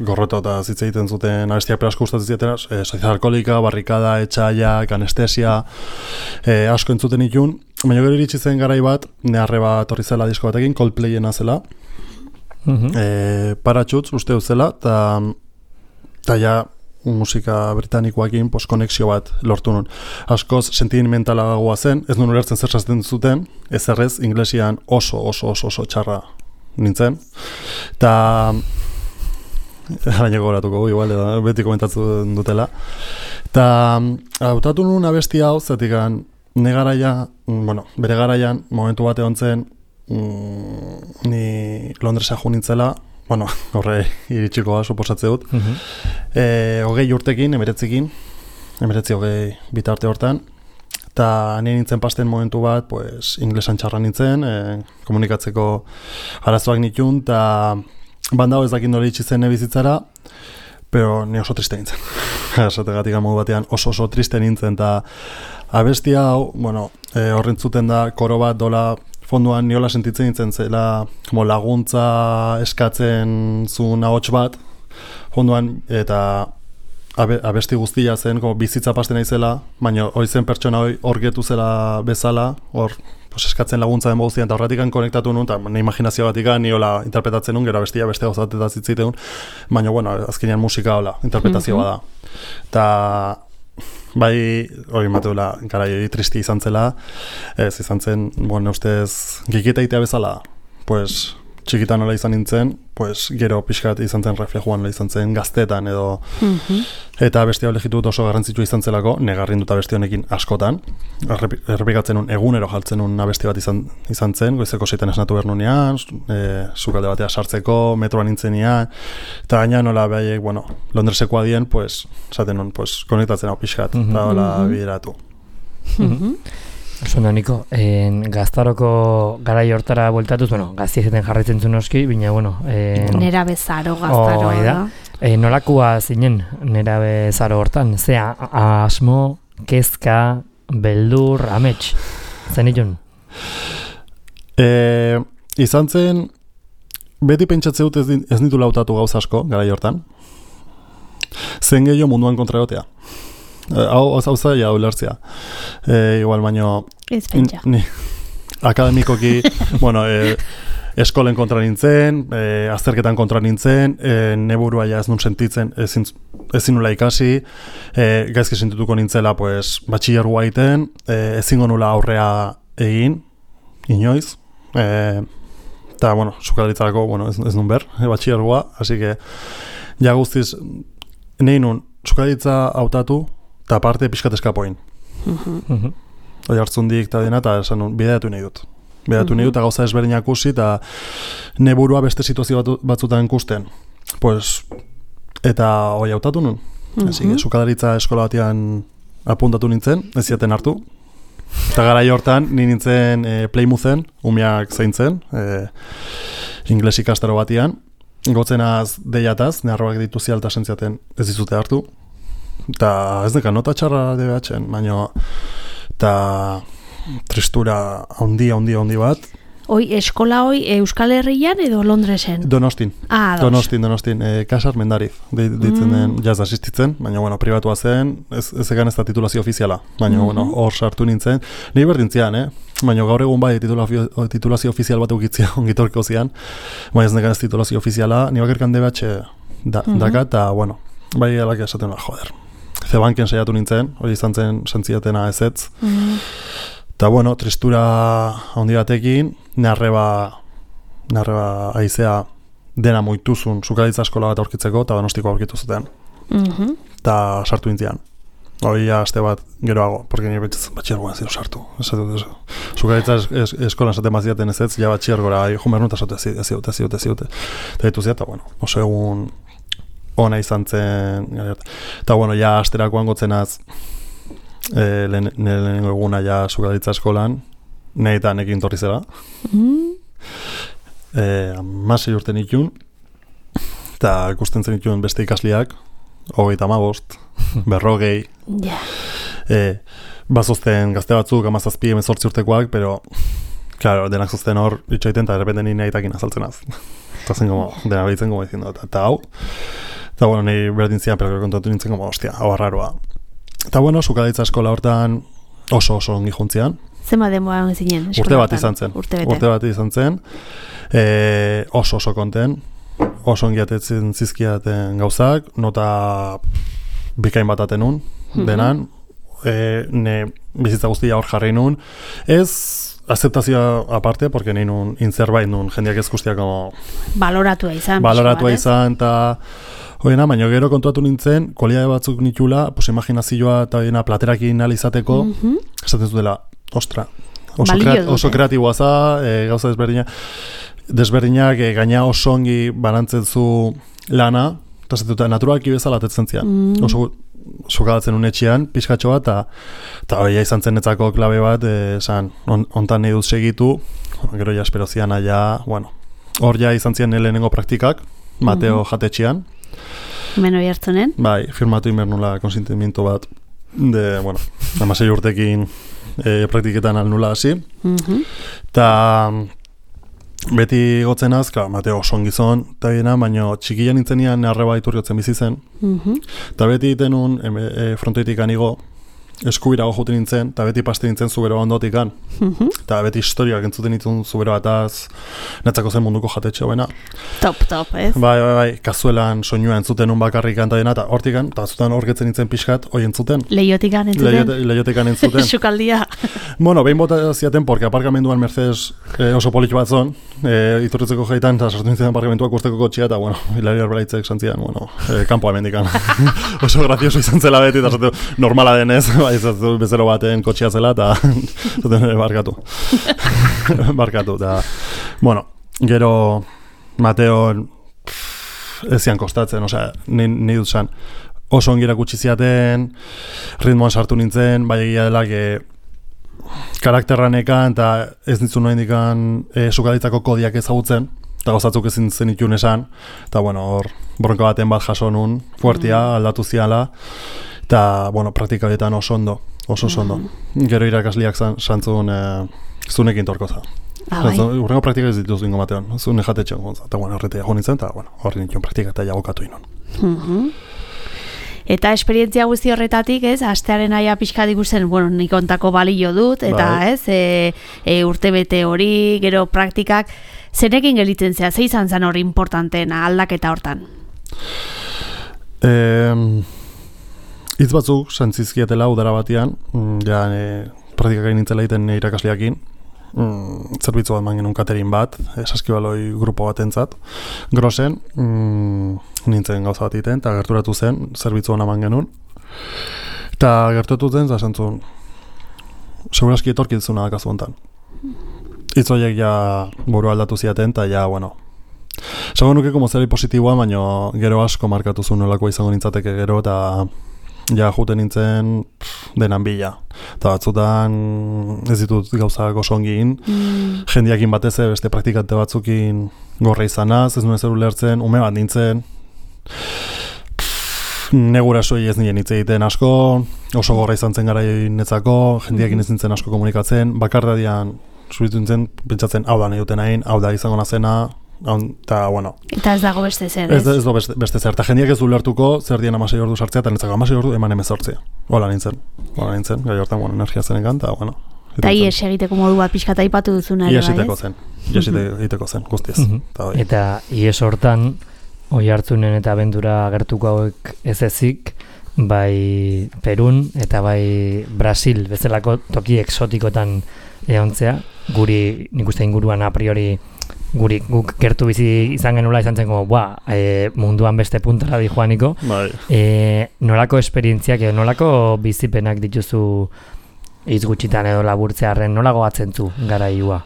[SPEAKER 3] gorroto eta zitze egiten zuten abestiak perasko gustatzen zietena, Sociedad Alkoholika, Barrikada, Etxaiak, Anestesia, asko entzuten itun, baina gero iritsi zen garai bat, neharre bat horri zela disko batekin, Coldplayena zela, Parachutes uste zela, eta ja musika britanikoakin konexio bat lortu nun. Askoz sentimentalagoa zen, ez nun ulertzen zer sasten zuten, ezerrez, inglesian oso txarra nintzen. Eta baina gogoratuko igual, beti komentatzen dutela. Eta hautatu nun abesti hau, zetikan bere garaian, momentu bat egon zen, ni Londresa jo nintzela, bueno, horre iritsikoa suposatze dut. 20 urtekin, 19 bitarte hortan, eta nire nintzen pasten momentu bat, pues, inglesan txarra nintzen, komunikatzeko arazoak nitun, eta bandau ez dakit nola itxitzen bizitzara, pero ni oso triste nintzen. Esategatik modu batean oso triste nintzen, eta abesti hau, bueno, horrentzuten da, koro bat dola, fonduan niola sentitzen nintzen zela laguntza eskatzen zuen ahots bat fonduan, eta abesti guztia zen bizitza pasten naizela, baina hori zen pertsona hor getu zela bezala, hor eskatzen laguntza den guztian, eta horretik konektatu nun, eta imaginazio batik niola interpretatzen nun, gero abestia beste gauzatetaz zitziteun, baina bueno, azkenean musika hola, interpretazioa da. Eta bai, hori mateula, garai tristi izan zela, ez izan zen, bueno, ustez, giketa itea bezala, pues, txikitan nola izan nintzen, pues, gero pixkat izan zen reflejuan nola izan zen gaztetan edo eta beste hau legitut oso garrantzitsua izan zelako, negarrin dut abesti honekin askotan, errepikatzen nun egunero jaltzen nun abesti bat izan zen, goizeko 7 esnatu bernunean, sukalde batea sartzeko, metroan nintzenean, eta gaina nola behaiek, bueno, Londreseko adien, pues, esaten nun, pues, konektatzen hau pixkat, eta hola bideratu.
[SPEAKER 1] Oso niko, gaztaroko garai hortara bueltatuz, bueno, gaztiezeten jarraitzen zuen oski, baina, bueno...
[SPEAKER 2] Nera bezaro gaztaro, da?
[SPEAKER 1] Nolakua zinen nera bezaro hortan? Zea, asmo, kezka, beldur, amets, zen itun?
[SPEAKER 3] Izan zen, beti pentsatze dut ez nitu lautatu gauza asko, garai hortan. Zen gehiago munduan kontra egotea. Hau zaila ulertzea. Igual baino...
[SPEAKER 2] Ez pentsa.
[SPEAKER 3] Akademikoki, bueno, eskolen kontra nintzen, azterketan kontra nintzen, neburua ja ez nun sentitzen, ezin nula ikasi, gaizki sentituko nintzela, pues, batxillergoa egiten, ezingo nula aurrea egin, inoiz, eta, bueno, sukaldaritzarako, bueno, ez nun ber, batxillergoa, así que, ja guztiz, nahi nun, sukaldaritza hautatu, eta parte pixkat eskapoin. Hoi hartzundik eta dena, eta esan nun, bideatu nahi dut. Bideatu nahi dut, eta gauza ezberdinak ikusi, eta neburua beste situazio batzutan ikusten. Pues, eta hoi hautatu nun. Así que, sukadaritza eskola batean apuntatu nintzen, ez ziaten hartu. Eta garai hortan, ni nintzen Playmouthen, umeak zaintzen, ingles ikastaro batean. Gotzenaz deiataz, neharroak ditu zialta sentziaten ez dizute hartu. Eta ez deka nota txarra DBH-en, baina eta tristura handi bat.
[SPEAKER 2] Eskola Euskal Herrian edo Londresen?
[SPEAKER 3] Donostin. Donostin. Kasar Mendariz deitzen den jaz asistitzen, baina bueno, pribatua zen, ez egan ez da titulazio ofiziala, baina bueno, hor sartu nintzen. Ni berdintzian, baina gaur egun bai titulazio ofizial bat eukitzia ongitorko zian, baina ez negan ez titulazio ofiziala, ni bakerkan DBH daka, eta bueno, bai alak esaten joder. Zebanken saiatu nintzen, hori izan zen sentziatena ezetz. Eta bueno, tristura handi batekin, narreba aizea dena moituzun sukalditza eskola bat aurkitzeko, eta Donostiko aurkitu zuten. Eta sartu nintzian. Hori aste bat geroago, porque nire batxiergoan zero sartu. Sukalditza eskolan esaten baziaten ezetz, ja batxiergora, jumernu eta ez ziute. Eta ditu ziat, eta bueno, oso egun ona izan zen, eta bueno, ja asterakoan gotzenaz lehenengo eguna ja sukalditza eskolan, nahi eta nekin torri zela. 16 urte nitun, eta ikusten zen nitun beste ikasliak, 35, 40, bazozten gazte batzuk, 17, 18 urtekoak, pero, claro, denak zozten hor, itxaiten, eta errepende nire nahi azaltzenaz. Eta zen, dena behitzen, diciendo, eta hau. Eta, bueno, nahi berdintzia, pero kontatu nintzen, hostia, hau arraroa. Eta, bueno, sukalditza eskola hortan oso ongi juntzian.
[SPEAKER 2] Zema denboa zinen?
[SPEAKER 3] Urte bat izan zen. Oso konten. Oso ongi atetzen zizkiaten gauzak. Nota bikain bat atenun, denan. Ne bizitza guztia hor jarri nun. Ez aceptazioa aparte, porque nahi nun inzerbait nun jendeak ez guztiak
[SPEAKER 2] baloratua
[SPEAKER 3] izan, eta hoena, baina gero kontuatu nintzen, kualitate batzuk nitula, pues imaginazioa eta platerakin alizateko, esaten zutela, ostra, oso kreatiboa za, gauza desberdinak gaina oso ongi banantzen zu lana, eta zetuta naturalki bezala atetzen zian, oso sukadatzen unetxean, pixkatxo bat, eta hori izan zen netzako klabe bat, esan, ontan nahi dut segitu, gero ja espero zian aia, bueno, hor ja izan zian lehenengo praktikak, Mateo jatetxean.
[SPEAKER 2] Hemen hori hartzunen?
[SPEAKER 3] Bai, firmatu inbernula konsentimiento bat, de, bueno, 16 urtekin praktiketan alnula hasi, eta beti gotzen azka, Mateo oson gizon, eta gina, baina txikian nintzenian arreba iturriotzen bizi zen, eta beti tenun frontoitik anigo, eskubirago juten nintzen, eta beti paste nintzen zubero ondotikan. Eta beti historiak entzuten nintzen zubero bataz, netzako zen munduko jatetxe hoena.
[SPEAKER 2] Top, ez?
[SPEAKER 3] Bai, kazuelan soinua entzuten un bakarrik kanta dena, eta hortikan, eta zutan horgetzen nintzen pixkat, hoi entzuten.
[SPEAKER 2] Leiotikan entzuten?
[SPEAKER 3] Leiotikan entzuten.
[SPEAKER 2] Sukaldia.
[SPEAKER 3] Bueno, behin bota ziaten, porque aparkamenduan Mercedes oso polit bat zon, iturritzeko jaitan, eta sartu nintzen aparkamentuak usteko kotxia, eta bueno, hilari arbelaitzek santzian, bueno, kanpoa mendikan. Oso grazioso izan zela beti, eta zatu, normala denez, bai, zatu bezero baten kotxia zela, eta zuten barkatu. Barkatu, eta, bueno, gero Mateo ezian kostatzen, osea, ni dut zan, oso ongi erakutsi ziaten, ritmoan sartu nintzen, bai egia dela, karakterranekan, eta ez nintzen noen dikan sukalitzako kodiak ezagutzen, eta gozatzuk ezin zen itun esan, eta bueno, hor, bronka baten bat jaso nun, fuertia, aldatu ziala, eta, bueno, praktika horietan oso ondo. Gero irakasliak santzun zunekin torko za. Urrengo praktika ez dituz bingo Mateon, zune jatetxean gonza, eta bueno, horretea jo nintzen, eta bueno, horri nintzen praktika eta jagokatu inon.
[SPEAKER 2] Eta esperientzia guzti horretatik, ez, astearen aia pixka diguzen, bueno, nik ontako balio dut, eta ez, urtebete hori, gero praktikak, zenekin gelitzen zea, ze izan zen hori importanteena aldaketa hortan?
[SPEAKER 3] Hitz batzuk, santzizkietela udara batean, praktikak egin nintzela egiten irakasleakin, zerbitzu bat man genuen katerin bat, saskibaloi grupo bat entzat, grosen, nintzen gauza bat egiten, eta gerturatu zen, zerbitzu hona man genuen, eta gerturatu zen, zantzun, seguraski etorkitzuna dakazu hontan. Hitz horiek ja buru aldatu ziaten, eta ja, bueno, zago nuke como zeri positiboa, baina gero asko markatu zuen nolako izango nintzateke gero, eta ja juten nintzen denan bila. Eta batzutan ez ditut gauzak oso ongin, jendiakin batez beste praktikante batzukin gorra izanaz, ez nuen zer ulertzen, ume bat nintzen, negura soi ez nien hitz egiten asko, oso gorra izan zen gara netzako, jendiakin ez nintzen asko komunikatzen, bakardadian zuritu nintzen, pentsatzen hau da nahi duten hain, hau da izango nazena, eta, bueno.
[SPEAKER 2] Eta ez dago beste zer,
[SPEAKER 3] ez? Ez dago beste zer. Eta jendiak ez du lertuko zer dien 16 ordu sartzea, eta netzako 16 ordu eman 18. Hola nintzen. Gai hortan, bueno, energia zenekan, eta, bueno.
[SPEAKER 2] Eta ies egiteko modu bat pixka taipatu duzuna.
[SPEAKER 3] Ies egiteko zen, guztiz.
[SPEAKER 1] Eta ies hortan, oi hartzunen eta abendura agertuko hauek ez ezik, bai Perun eta bai Brasil bezalako toki exotikotan egontzea, guri nik uste inguruan a priori guk gertu bizi izan genula izan zen munduan beste puntara di joaniko. Nolako esperientziak edo nolako bizipenak dituzu hitz gutxitan edo laburtzearren, nola gogatzen zu garaiua?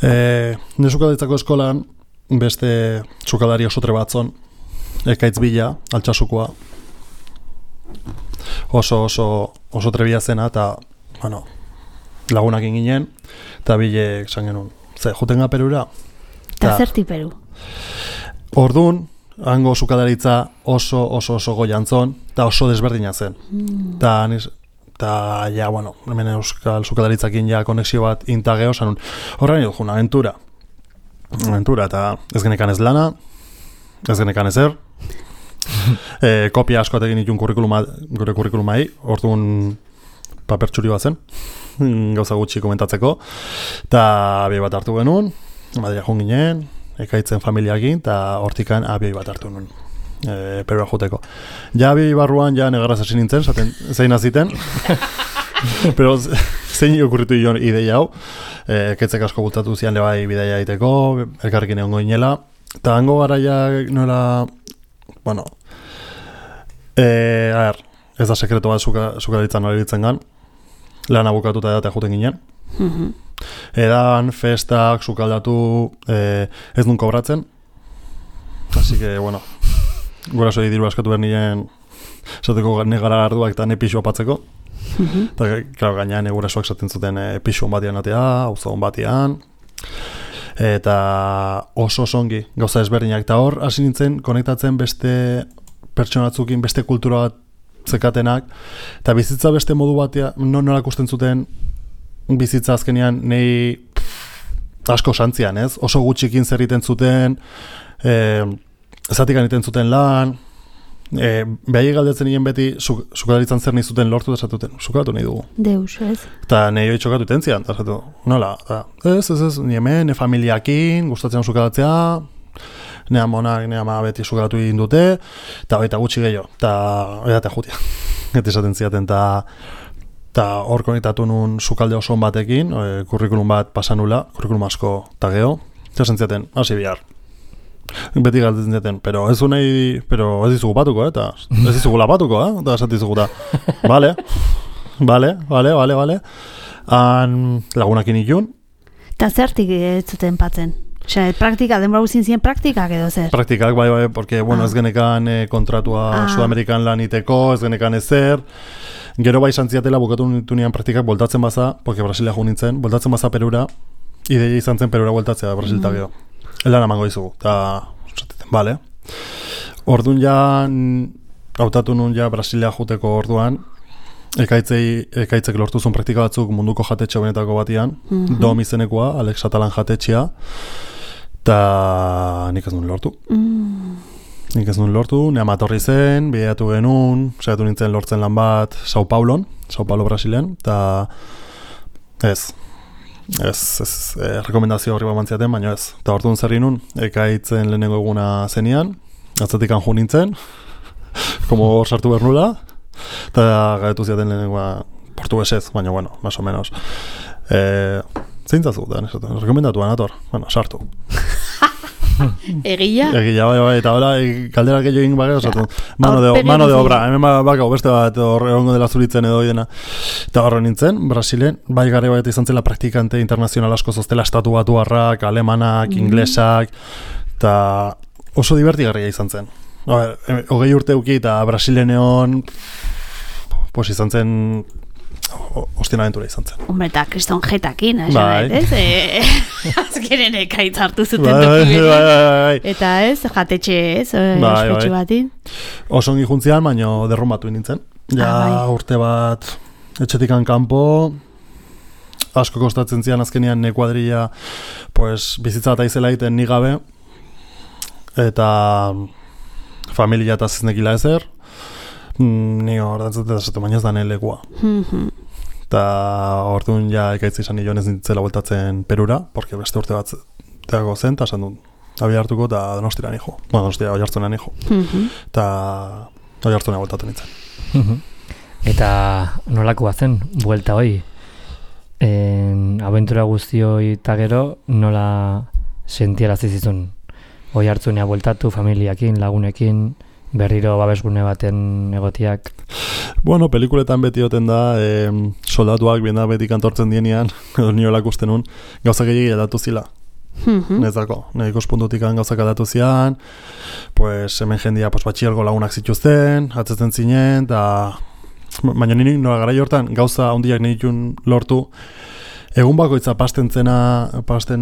[SPEAKER 3] Ne sukaldaritzako eskolan beste sukaldari oso trebatzon, ekaitz bila, altxasukoa, oso trebia zena, eta bueno, lagunak inginen, eta bilek esan genuen, juten ga Perura?
[SPEAKER 2] Eta zerti Peru?
[SPEAKER 3] Orduan, hango sukadaritza oso goiantzon, eta oso desberdina zen. Eta, ja, bueno, hemen euskal sukadaritzakin ja konexio bat intageo, zanun, horrein dut, aventura, eta ez genekan ez lana, ez genekan ezer, kopia asko atekin ditun gure kurrikulumai, orduan papertxuri bat zen, gauza gutxi komentatzeko, eta abioi bat hartu genuen, Madria joan ginen, ekaitzen familiakin, eta hortikan abioi bat hartu nuen, Perua joteko. Ja abioi barruan, ja negarraz hasi nintzen, zein aziten, pero zein okurritu ion ideia hau, ekaitzek asko bultatu zian lebai bidaia egiteko, elkarrekin egon goinela, eta hango garaia nola, bueno, ez da sekreto bat sukadaritzan nola iritzen gan, lan abukatuta edatea juten ginen, edan, festak, sukaldatu, ez nun kobratzen, así que, bueno, gura zoi diru askatu behar nien, esateko negara arduak eta ne pixu apatzeko, eta, claro, gainean gura zoak esaten zuten pixu batian atea, auzo batian, eta oso ongi gauza ezberdinak, eta hor hasi nintzen konektatzen beste pertsonatzukin, beste kultura bat zekatenak, eta bizitza beste modu batean, nola ikusten zuten bizitza azkenean nei asko santzian, ez? Oso gutxikin zer egiten zuten, zatik egiten zuten lan, Behai galdetzen nien beti, sukaldaritzan zer nahi zuten lortu, eta esatuten, sukaldatu nahi dugu.
[SPEAKER 2] Deus, ez?
[SPEAKER 3] Eta nahi hori txokatu itentzian, eta esatu, nola, ez, ni hemen, familiakin, gustatzen sukaldatzea, nea monak, nea ma beti sukaldatu egin dute, eta baita gutxi gehiago, eta jutia, eta esaten ziaten, eta hor konektatu nun sukalde oso batekin, kurrikulum bat pasanula, kurrikulum asko eta geho, eta esan ziaten, hasi bihar. Beti galdetzen ziaten, pero ez dizugu patuko, eta ez dizugu lapatuko, eta esat dizugu da, vale. Lagunakin ikun.
[SPEAKER 2] Eta zertik ez zuten patzen? Osea, praktika, denbora guztien ziren praktikak edo zer?
[SPEAKER 3] Praktikak, bai, porque, bueno, ez genekan kontratua Sudamerikan lan iteko, ez genekan ezer. Gero bai santziatela bukatu nitunean praktikak voltatzen baza, porque Brasilia jo nintzen, voltatzen baza Perura, ideia izan zen Perura voltatzea Brasilta geho. Elan amango dizugu, eta bale. Orduan ja, hautatu nun ja Brasilia juteko orduan, ekaitzek lortu zuen praktika batzuk munduko jatetxe benetako batian, Dom izenekoa, Alex Atalan jatetxea, eta nik ez nun lortu. Nik ez nun lortu, nea matorri zen, bideatu genuen, saiatu nintzen lortzen lan bat Sao Paulo Brasilean, eta ez, rekomendazio horri bat mantziaten, baina ez. Eta orduan zerri nun, ekaitzen lehenengo eguna zenian, atzetikan jo nintzen, como hor sartu behar nula, eta gaetu ziaten lehenengoa portuguesez, baina, bueno, más o menos. Zeintzazu, da, rekomendatuan, ator, bueno, sartu.
[SPEAKER 2] Egia?
[SPEAKER 3] Egia, bai, eta hola, kaldera gehiago egin bagea, osatu, mano de obra, hemen bakau, beste bat, egongo dela zuritzen edo idena. Eta horre nintzen, Brasilen, bai gare bat izan zela praktikante internazional asko zoztela, estatu batuarrak, alemanak, inglesak, eta oso divertigarria izan zen. 20 urte uki eta Brasileneon, pues izan zen, ostien aventura izan zen.
[SPEAKER 2] Hombre, eta kriston jetakin,
[SPEAKER 3] bai.
[SPEAKER 2] Ez? Azkenen ekaitz hartu zuten toki.
[SPEAKER 3] Bai.
[SPEAKER 2] Eta ez, jatetxe ez, ospetxu batin.
[SPEAKER 3] Oso ongi juntzian, baina derrumbatu nintzen. Ja, urte bat etxetikan kanpo, asko kostatzen zian azkenean kuadrilla, pues, bizitza eta izela egiten ni gabe, eta familia eta zeznekila ezer, ni hor datzatzen baina ez da lekua. Eta orduan ja ekaitz izan nioen ez nintzela voltatzen Perura, porque beste urte bat teago zen, eta esan dut, abia hartuko eta Donostira nijo. Bueno, Donostia Oiartzuna nijo. Eta Oiartzuna voltatu nintzen.
[SPEAKER 1] Eta nolakoa zen, buelta hoi? Abentura guzti hoi eta gero, nola sentiarazi zizun? Oiartzunea bueltatu, familiakin, lagunekin, berriro babesgune baten egotiak?
[SPEAKER 3] Bueno, pelikuletan beti oten da, soldatuak bienda beti kantortzen dienean, edo niolak uste nun, gauzak egin aldatu zila. Nezako, nire ikuspuntutik gauzak aldatu zian, pues hemen jendia pues, batxielgo lagunak zituzten, atzetzen zinen, eta baina nire nola gara hortan gauza handiak nire lortu, egun bakoitza pasten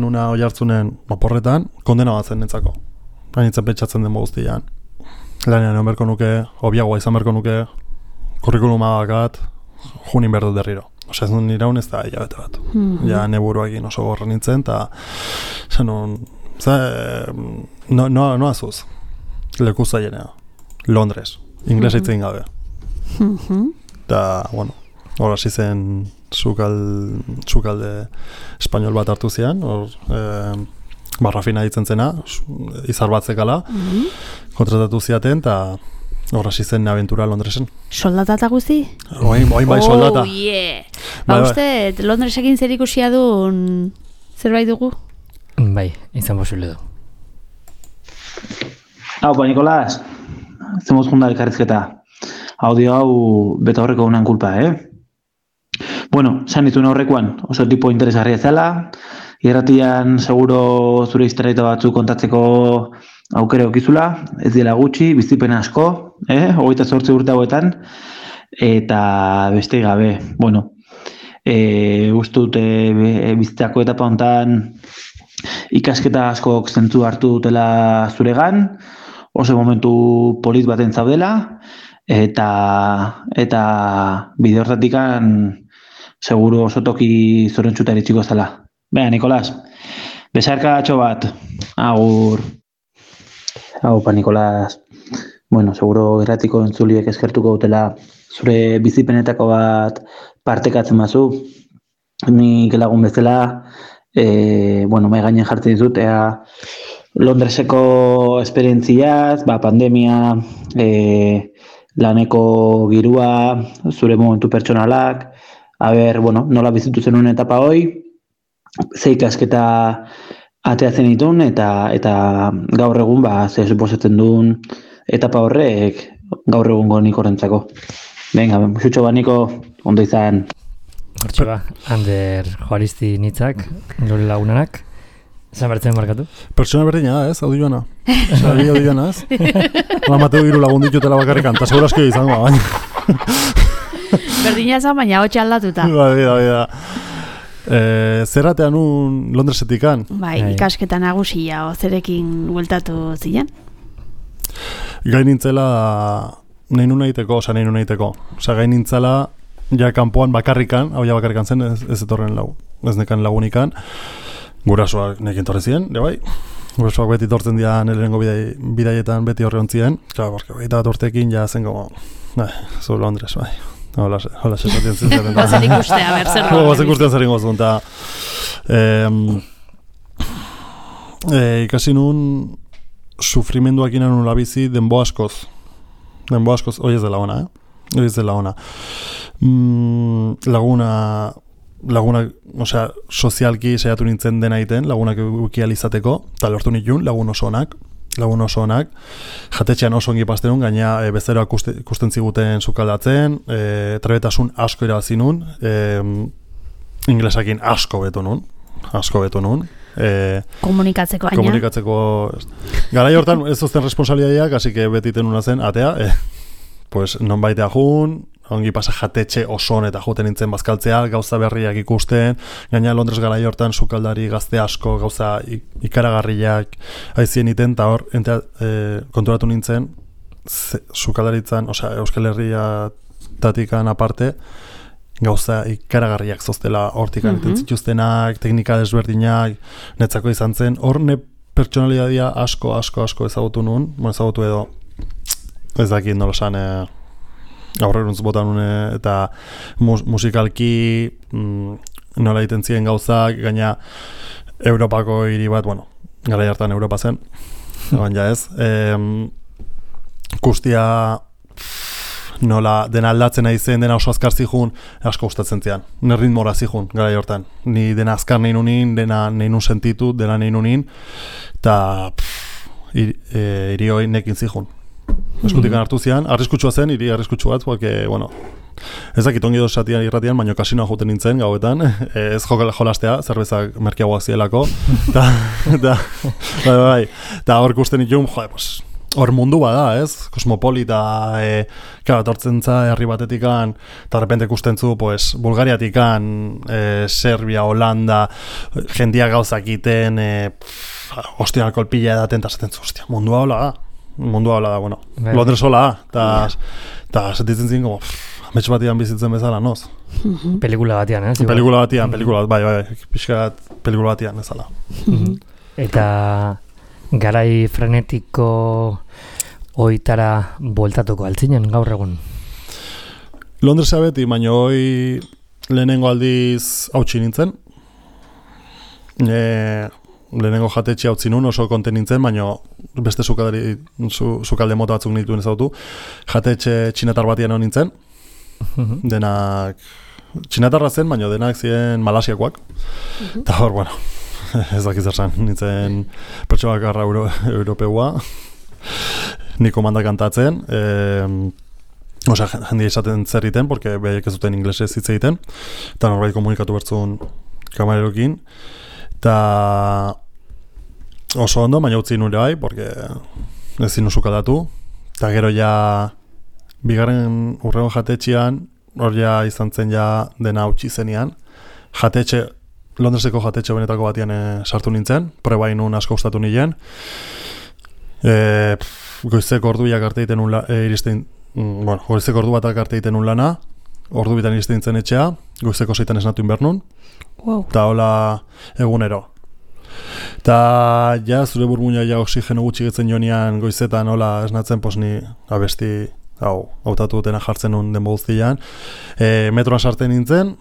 [SPEAKER 3] nuna Oiartzunen moporretan, kondena bat zen netzako. Hainitzen pentsatzen den guztian. Lanean egon berko nuke, obiagoa izan berko nuke, kurrikuluma bakat, junin behar dut berriro. Osa ez nun iraun ez da hilabete bat. Ja neburuakin oso gorra nintzen, eta no azuz. Leku zaienea. Londres. Inglesa itzen gabe. Eta, bueno, hor hasi zen sukalde espainol bat hartu zian, hor barrafina ditzen zena, izar bat zekala, kontratatu ziaten, eta hor hasi zen aventura Londresen.
[SPEAKER 2] Soldata guzti?
[SPEAKER 3] Oin bai soldata.
[SPEAKER 2] Oh, yeah! Uste, Londresekin zer ikusia duen zerbait dugu?
[SPEAKER 1] Bai, izan posible du.
[SPEAKER 5] Hau, Nikolas, zemuz junda elkarrizketa. Audio hau beta horreko unan kulpa, Bueno, zan dituen horrekoan, oso tipo interesgarria zela, irratian seguro zure historieta batzuk kontatzeko aukere okizula, ez dela gutxi, bizipen asko, 28 urte hauetan, eta beste gabe, bueno, uste dute bizitzako etapa hontan ikasketa asko zentzu hartu dutela zuregan, oso momentu polit baten zaudela, eta bide hortatikan seguro oso toki zorentzuta eritxiko zela. Bea, Nikolas, besarka atxo bat, agur. Haupa, Nikolas, bueno, seguro irratiko entzuliek eskertuko dutela zure bizipenetako bat partekatzen bazu. Nik lagun bezala, bueno, mai gainen jartzen dizut, Londreseko esperientziaz, pandemia, laneko girua, zure momentu pertsonalak, bueno, nola bizitu zenuen etapa hoi, ze ikasketa ateatzen ditun, eta gaur egun, ze suposatzen duen etapa horrek gaur egungo nik horrentzako. Venga, musutxo baniko, ondo izan.
[SPEAKER 1] Hortxe Ander Juaristi nitzak, nire lagunanak. Zan bertzen markatu?
[SPEAKER 3] Pertsona berdina da, ez? Audioana. Audioana, ez? Mateo hiru lagun ditutela bakarrikan, eta seguro asko izango, baina.
[SPEAKER 2] Berdina zan, baina hotxe aldatuta.
[SPEAKER 3] Baina. Zerratean un Londresetikan?
[SPEAKER 2] Bai, ikasketa nagusia, zerekin bueltatu ziren?
[SPEAKER 3] Gai nintzela nahi nun egiteko. Osa, gai nintzela, ja kanpoan bakarrikan, hau ja bakarrikan zen, ez etorren ez nekan lagunikan. Gurasoak nekin torre ziren, bai. Gurasoak beti tortzen dira lehenengo bidaietan beti horre ontzien. Claro, porque baita bat urtekin ja zen como, zu Londres, bai. Hola, sesatzen zen.
[SPEAKER 2] Bazen ikustea, zer da.
[SPEAKER 3] Bazen ikustean zer ingozun, eta ikasi nun sufrimenduak inan nula bizi denbo askoz, hoi ez dela ona, hoi ez dela ona. Lagunak, osea, sozialki saiatu nintzen dena egiten, lagunak ukializateko, eta lortu nituen, lagun oso onak, jatetxean oso ongi pastenun, gaina bezeroak ikusten ziguten sukaldatzen, trebetasun asko irabazi nun, inglesakin asko beto nun.
[SPEAKER 2] Komunikatzeko
[SPEAKER 3] Garai hortan ez zozten responsabilidadeak, así que beti tenuna zen, atea, pues non baitea jun, ongi pasa jatetxe oso eta juten nintzen bazkaltzea, gauza berriak ikusten, gaina Londres garai hortan sukaldari gazte asko, gauza ikaragarriak aizien iten, eta hor, konturatu nintzen, sukaldaritzan, osea, Euskal Herriatatikan aparte, gauza ikaragarriak zoztela hortikan iten zituztenak, teknika desberdinak, netzako izan zen, hor pertsonalidadia asko ezagutu nun, ezagutu edo, ez dakit nolosan, aurreruntz botan une, eta musikalki nola egiten ziren gauzak, gaina Europako hiri bat, bueno, garai hartan Europa zen, baina ez, guztia nola dena aldatzen nahi zen, dena oso azkar zihun, asko gustatzen zian, ritmora zihun, garai hortan, ni dena azkar nahi nunin, dena nahi nun sentitu, dena nahi nunin, eta hiri hoi nekin zihun. Eskutikan hartu zian, arriskutsua zen, hiri arriskutsua bat, porque, bueno, ez dakit ongi dosatian irratian, baina kasinoa joten nintzen gauetan, ez jolastea, zerbezak merkeagoak zielako, eta hor ikusten ditun, hor mundu bada, ez? Kosmopolita, tortzen herri batetikan, eta repente ikusten zu, Bulgariatikan, Serbia, Holanda, jendia gauzak iten, hostian kolpila edaten, eta zaten zu, hostia, mundua hola da, bueno, Londres hola da, eta sentitzen ziren, amets batian bizitzen bezala, noz?
[SPEAKER 1] Pelikula batian, ez?
[SPEAKER 3] Pelikula batian, pixkat pelikula batian ezala.
[SPEAKER 1] Eta garai frenetiko oitara bueltatuko altzinen gaur egun?
[SPEAKER 3] Londresa beti, baina hoi lehenengo aldiz hautsi nintzen. Lehenengo jatetxe hautsi nun, oso konten nintzen, baina beste sukalde mota batzuk nituen ezautu. Jatetxe txinatar batian hon nintzen. Denak txinatarra zen, baina denak ziren malasiakoak. Eta hor, bueno, ez dakiz erzan, nintzen pertsona bakarra europeua. Niko mandak kantatzen. Osea, jendia izaten zer egiten, porque behaiek ez duten inglesez hitz egiten. Eta norbait komunikatu bertzun kamarerokin. Eta oso ondo, baina utzi nure bai, porque ez zinu sukaldatu. Eta gero ja bigarren urrengo jatetxean, hor ja izan zen ja dena hautsi zenean. Londreseko jatetxe benetako batian sartu nintzen, probain nun asko gustatu nien. Goizeko orduak arte egiten goizeko ordu batak arte egiten un lana, ordu bitan iristen nintzen etxea, goizeko 6 esnatu inbernun, eta hola egunero. Ta ja zure burmuina ja oxigeno gutxi getzen jonean goizetan hola esnatzen, pues ni abesti hautatu dutena jartzen nun den guztian. Metroan sartzen nintzen,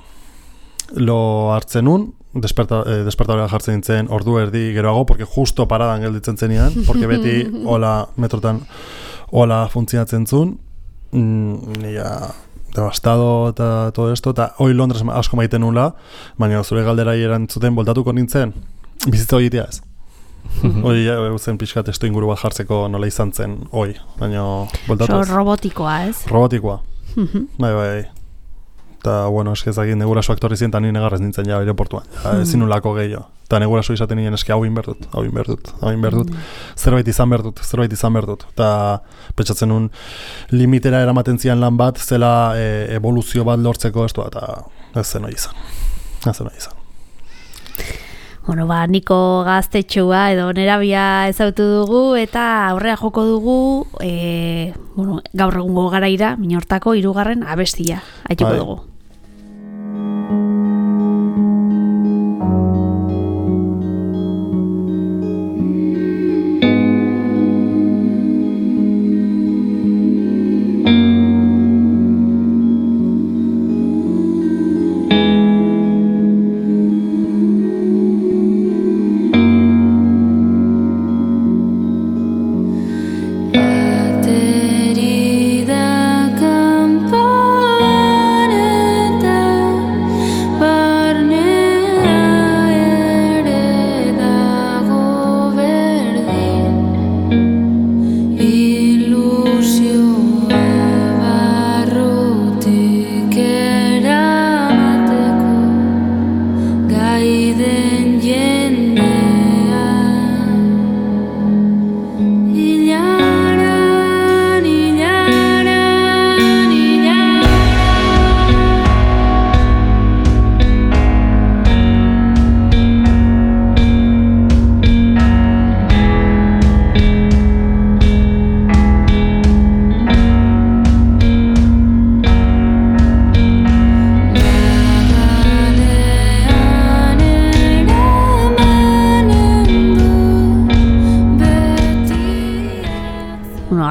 [SPEAKER 3] lo hartzen nun, despertadora jartzen nintzen ordu erdi geroago, porque justo paradan gelditzen zenian, porque beti hola metrotan hola funtzionatzen zuen, nila devastado eta todo esto, eta hoi Londres asko maiten nula, baina zure galderai erantzuten boltatuko nintzen, bizitza horitea ez. Hoi zen pixkat testu inguru bat jartzeko nola izan zen hoi, baina boltatu ez.
[SPEAKER 2] Robotikoa, ez?
[SPEAKER 3] Robotikoa. Bai. Eta, bueno, eskezakit neguraso aktorri zien, eta ni negarrez nintzen ja aeroportuan. Ezin nulako gehiago. Eta neguraso izaten nien eski hau inberdut. Zerbait izan berdut. Eta pentsatzen nun limitera eramaten zian lan bat, zela evoluzio bat lortzeko estu, eta ez zen hori izan.
[SPEAKER 2] Bueno, Niko gaztetxoa edo nerabia ezautu dugu eta aurrera joko dugu gaur egungo garaira, Minortako 3. abestia aituko dugu.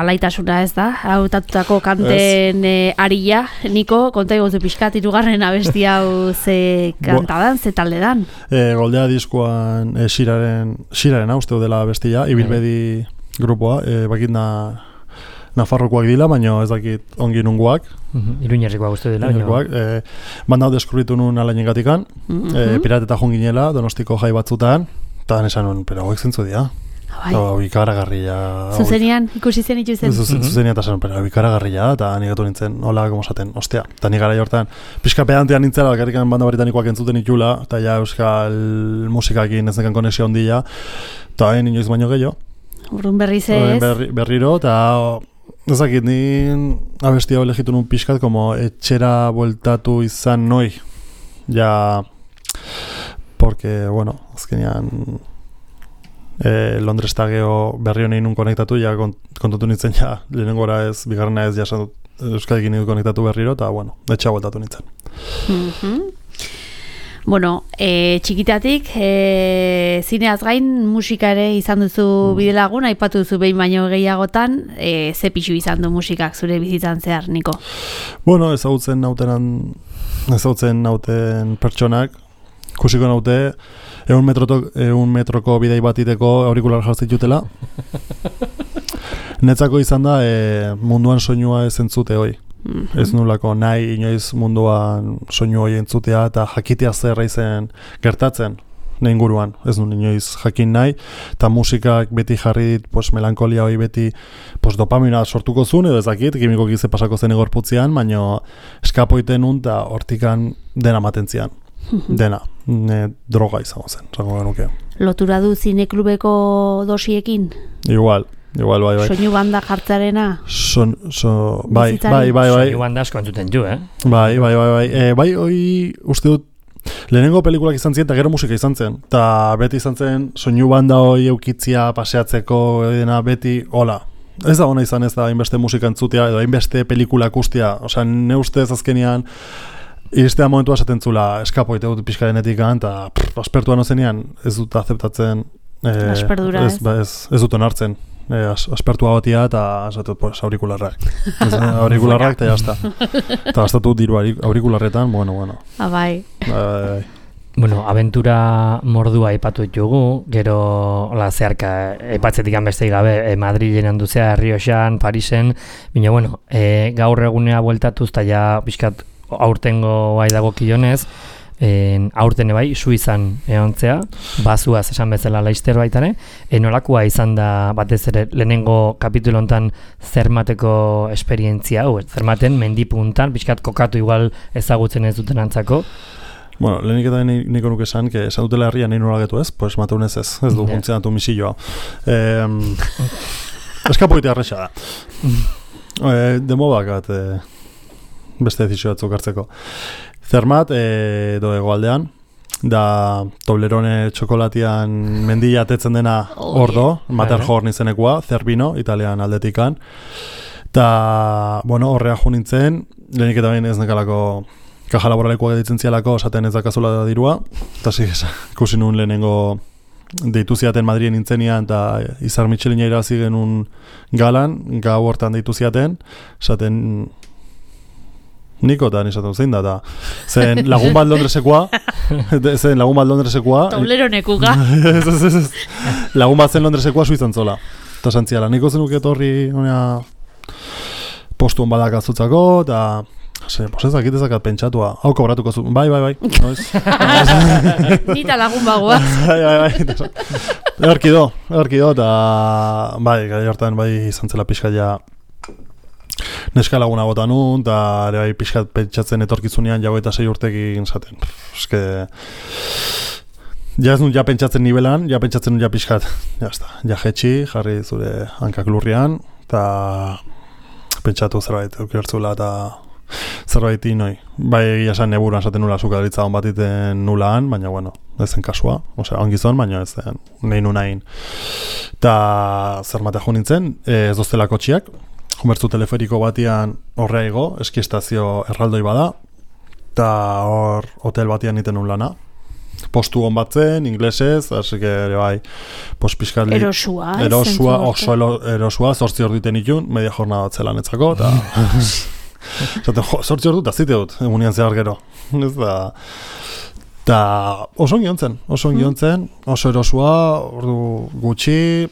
[SPEAKER 2] Alaitasuna ez da, hautatutako kanten arila, Niko, konta egozu pixkat 3. abestia hau ze kantadan, ze taldedan?
[SPEAKER 3] Goldea diskoan Xiraren uste dela abestia, Ibilbedi grupoa, bakit Nafarrokoak dila, baina ez dakit ongi nunguak.
[SPEAKER 1] Iruñerrikoak uste dela.
[SPEAKER 3] Banda hau deskubritu nun alainen gatikan, Pirata eta Junginela, Donostiko jai batzutan, eta nesan nun, pero hauek zentzu dira. Ikaragarria.
[SPEAKER 2] Zuzenian, ikusi zen ituzen?
[SPEAKER 3] Zuzenian eta zen, pero ikaragarria, eta nigatu nintzen, hola, como esaten, ostia. Eta ni gara jortan, pixka pedantean nintzela, bakarrikan banda britanikoak entzuten itxula, eta ja euskal musikakin ez nekan konexio ondila, eta inoiz baino gehiago.
[SPEAKER 2] Urrun berriz ez?
[SPEAKER 3] Berriro, eta ezakit, ni abesti hau elegitu nun pixkat, como etxera bueltatu izan noi. Ja, porque, bueno, azkenean Londres eta geho berri honein nun konektatu, ja kontatu nintzen ja, lehenengora ez, bigarrena ez, ja euskadikin nidu konektatu berriro, eta bueno, etxea bueltatu nintzen.
[SPEAKER 2] Bueno, txikitatik, zineaz gain musika ere izan duzu bidelagun, aipatu duzu behin baino gehiagotan, ze pixu izan du musikak zure bizitzan zehar, Niko?
[SPEAKER 3] Bueno, ezagutzen nauten pertsonak, kusiko naute, 100 metroko bidei batiteko aurikular jartzen jutela. Netzako izan da, munduan soinua ez entzute hoi. Ez nulako nahi inoiz munduan soinu hoi entzutea eta jakitea zerra izen gertatzen nahi inguruan. Ez nun inoiz jakin nahi, eta musikak beti jarri dit, melankolia hoi beti dopamina sortuko zuen, edo ezakit, kimiko gize pasako zen egorputzean, baina eskapoiten nun eta hortikan dena matentzian. Dena, droga izango zen, zango genuke.
[SPEAKER 2] Lotura du zineklubeko dosiekin?
[SPEAKER 3] Igual, bai.
[SPEAKER 2] Soinu banda jartzarena?
[SPEAKER 3] Bai.
[SPEAKER 1] Soinu banda asko entzuten ju,
[SPEAKER 3] Bai, hoi uste dut, lehenengo pelikulak izan ziren, eta gero musika izan zen. Eta beti izan zen, soinu banda hoi eukitzia paseatzeko, edena beti, hola. Ez da hona izan ez da hainbeste musika entzutea, edo hainbeste pelikulak ustea. Osea, ne ustez azkenean, iristea momentua esaten zula, eskapo ite dut pixkarenetik eta aspertua nozenean ez dut azeptatzen
[SPEAKER 2] Asperdura,
[SPEAKER 3] ez dut onartzen. Aspertua batia eta esatut, pues, aurikularrak. Aurikularrak eta jazta. Eta gastatu diru aurikularretan, bueno.
[SPEAKER 2] Bai.
[SPEAKER 1] Bueno, abentura mordua aipatu ditugu, gero zeharka aipatzetik beste gabe Madrilen handuzea, Rioxan, Parisen, baina bueno, gaur egunea bueltatuz eta ja pixkat aurtengo bai dagokionez, aurten bai Suizan egontzea, bazuaz esan bezala Laster baitare, nolakoa izan da batez ere lehenengo kapitulo hontan Zermateko esperientzia hau, Zermaten mendipuntan, pixkat kokatu igual ezagutzen ez duten antzako.
[SPEAKER 3] Bueno, lehenik eta niko nuke esan, que esan dutela herria nahi nolagetu ez, pues mateunez ez du funtzionatu misilloa. Eskapoitea arresa da. Demo bakat beste dezizio batzuk hartzeko. Zermat, edo hegoaldean, da Toblerone txokolatian mendila atetzen dena ordo, Matterhorn izenekoa, Zerbino, italian aldetikan. Eta, bueno, horrea jo nintzen, lehenik eta behin ez nekalako kaja laboralekoa ditzen zialako, esaten ez dakazula dirua, eta ikusi nuen lehenengo deitu ziaten Madrien nintzenian, eta Izar Michelina irabazi genuen galan, gau hortan deitu ziaten, esaten niko eta nisaten zein da, zen lagun bat Londresekoa,
[SPEAKER 2] Tobleronekuga.
[SPEAKER 3] Lagun bat zen Londresekoa Suizan zola, eta santziala, niko zenuk etorri postuan badak azutzako, eta pues ez dakitezakat pentsatua. Hau kobratuko zu. Bai.
[SPEAKER 2] Nita lagun bagoaz.
[SPEAKER 3] Bai. Erkido, eta bai, gai hartan bai izan zela pixkat ja neska laguna bota nun, eta ere bai pixkat pentsatzen etorkizunean jago eta 6 urtekin zaten. Eske ja ez nun ja pentsatzen nibelan, ja pentsatzen nun ja pixkat. Ja jetxi, jarri zure hankak lurrian, eta pentsatu zerbait eukertzula eta zerbait inoi. Bai egia esan neburuan esaten nula sukaritza hon bat iten nulaan, baina bueno, ez zen kasua, ongizon, baina ez zen nahi nunain. Eta Zermatea jo nintzen, ez doztela kotxiak, jumertzu teleferiko batian horrea igo, eskiestazio erraldoi bada, eta hor hotel batian niten nun lana. Postu hon bat zen, inglesez, así que ere bai, pixkat
[SPEAKER 2] erosua,
[SPEAKER 3] oso erosua, 8 hor diten itun, media jornada bat zelan etzako, eta zaten, 8 hor dut, azite dut, emunian zehar gero. Ez da, eta oso ongi ontzen, oso erosua, ordu gutxi,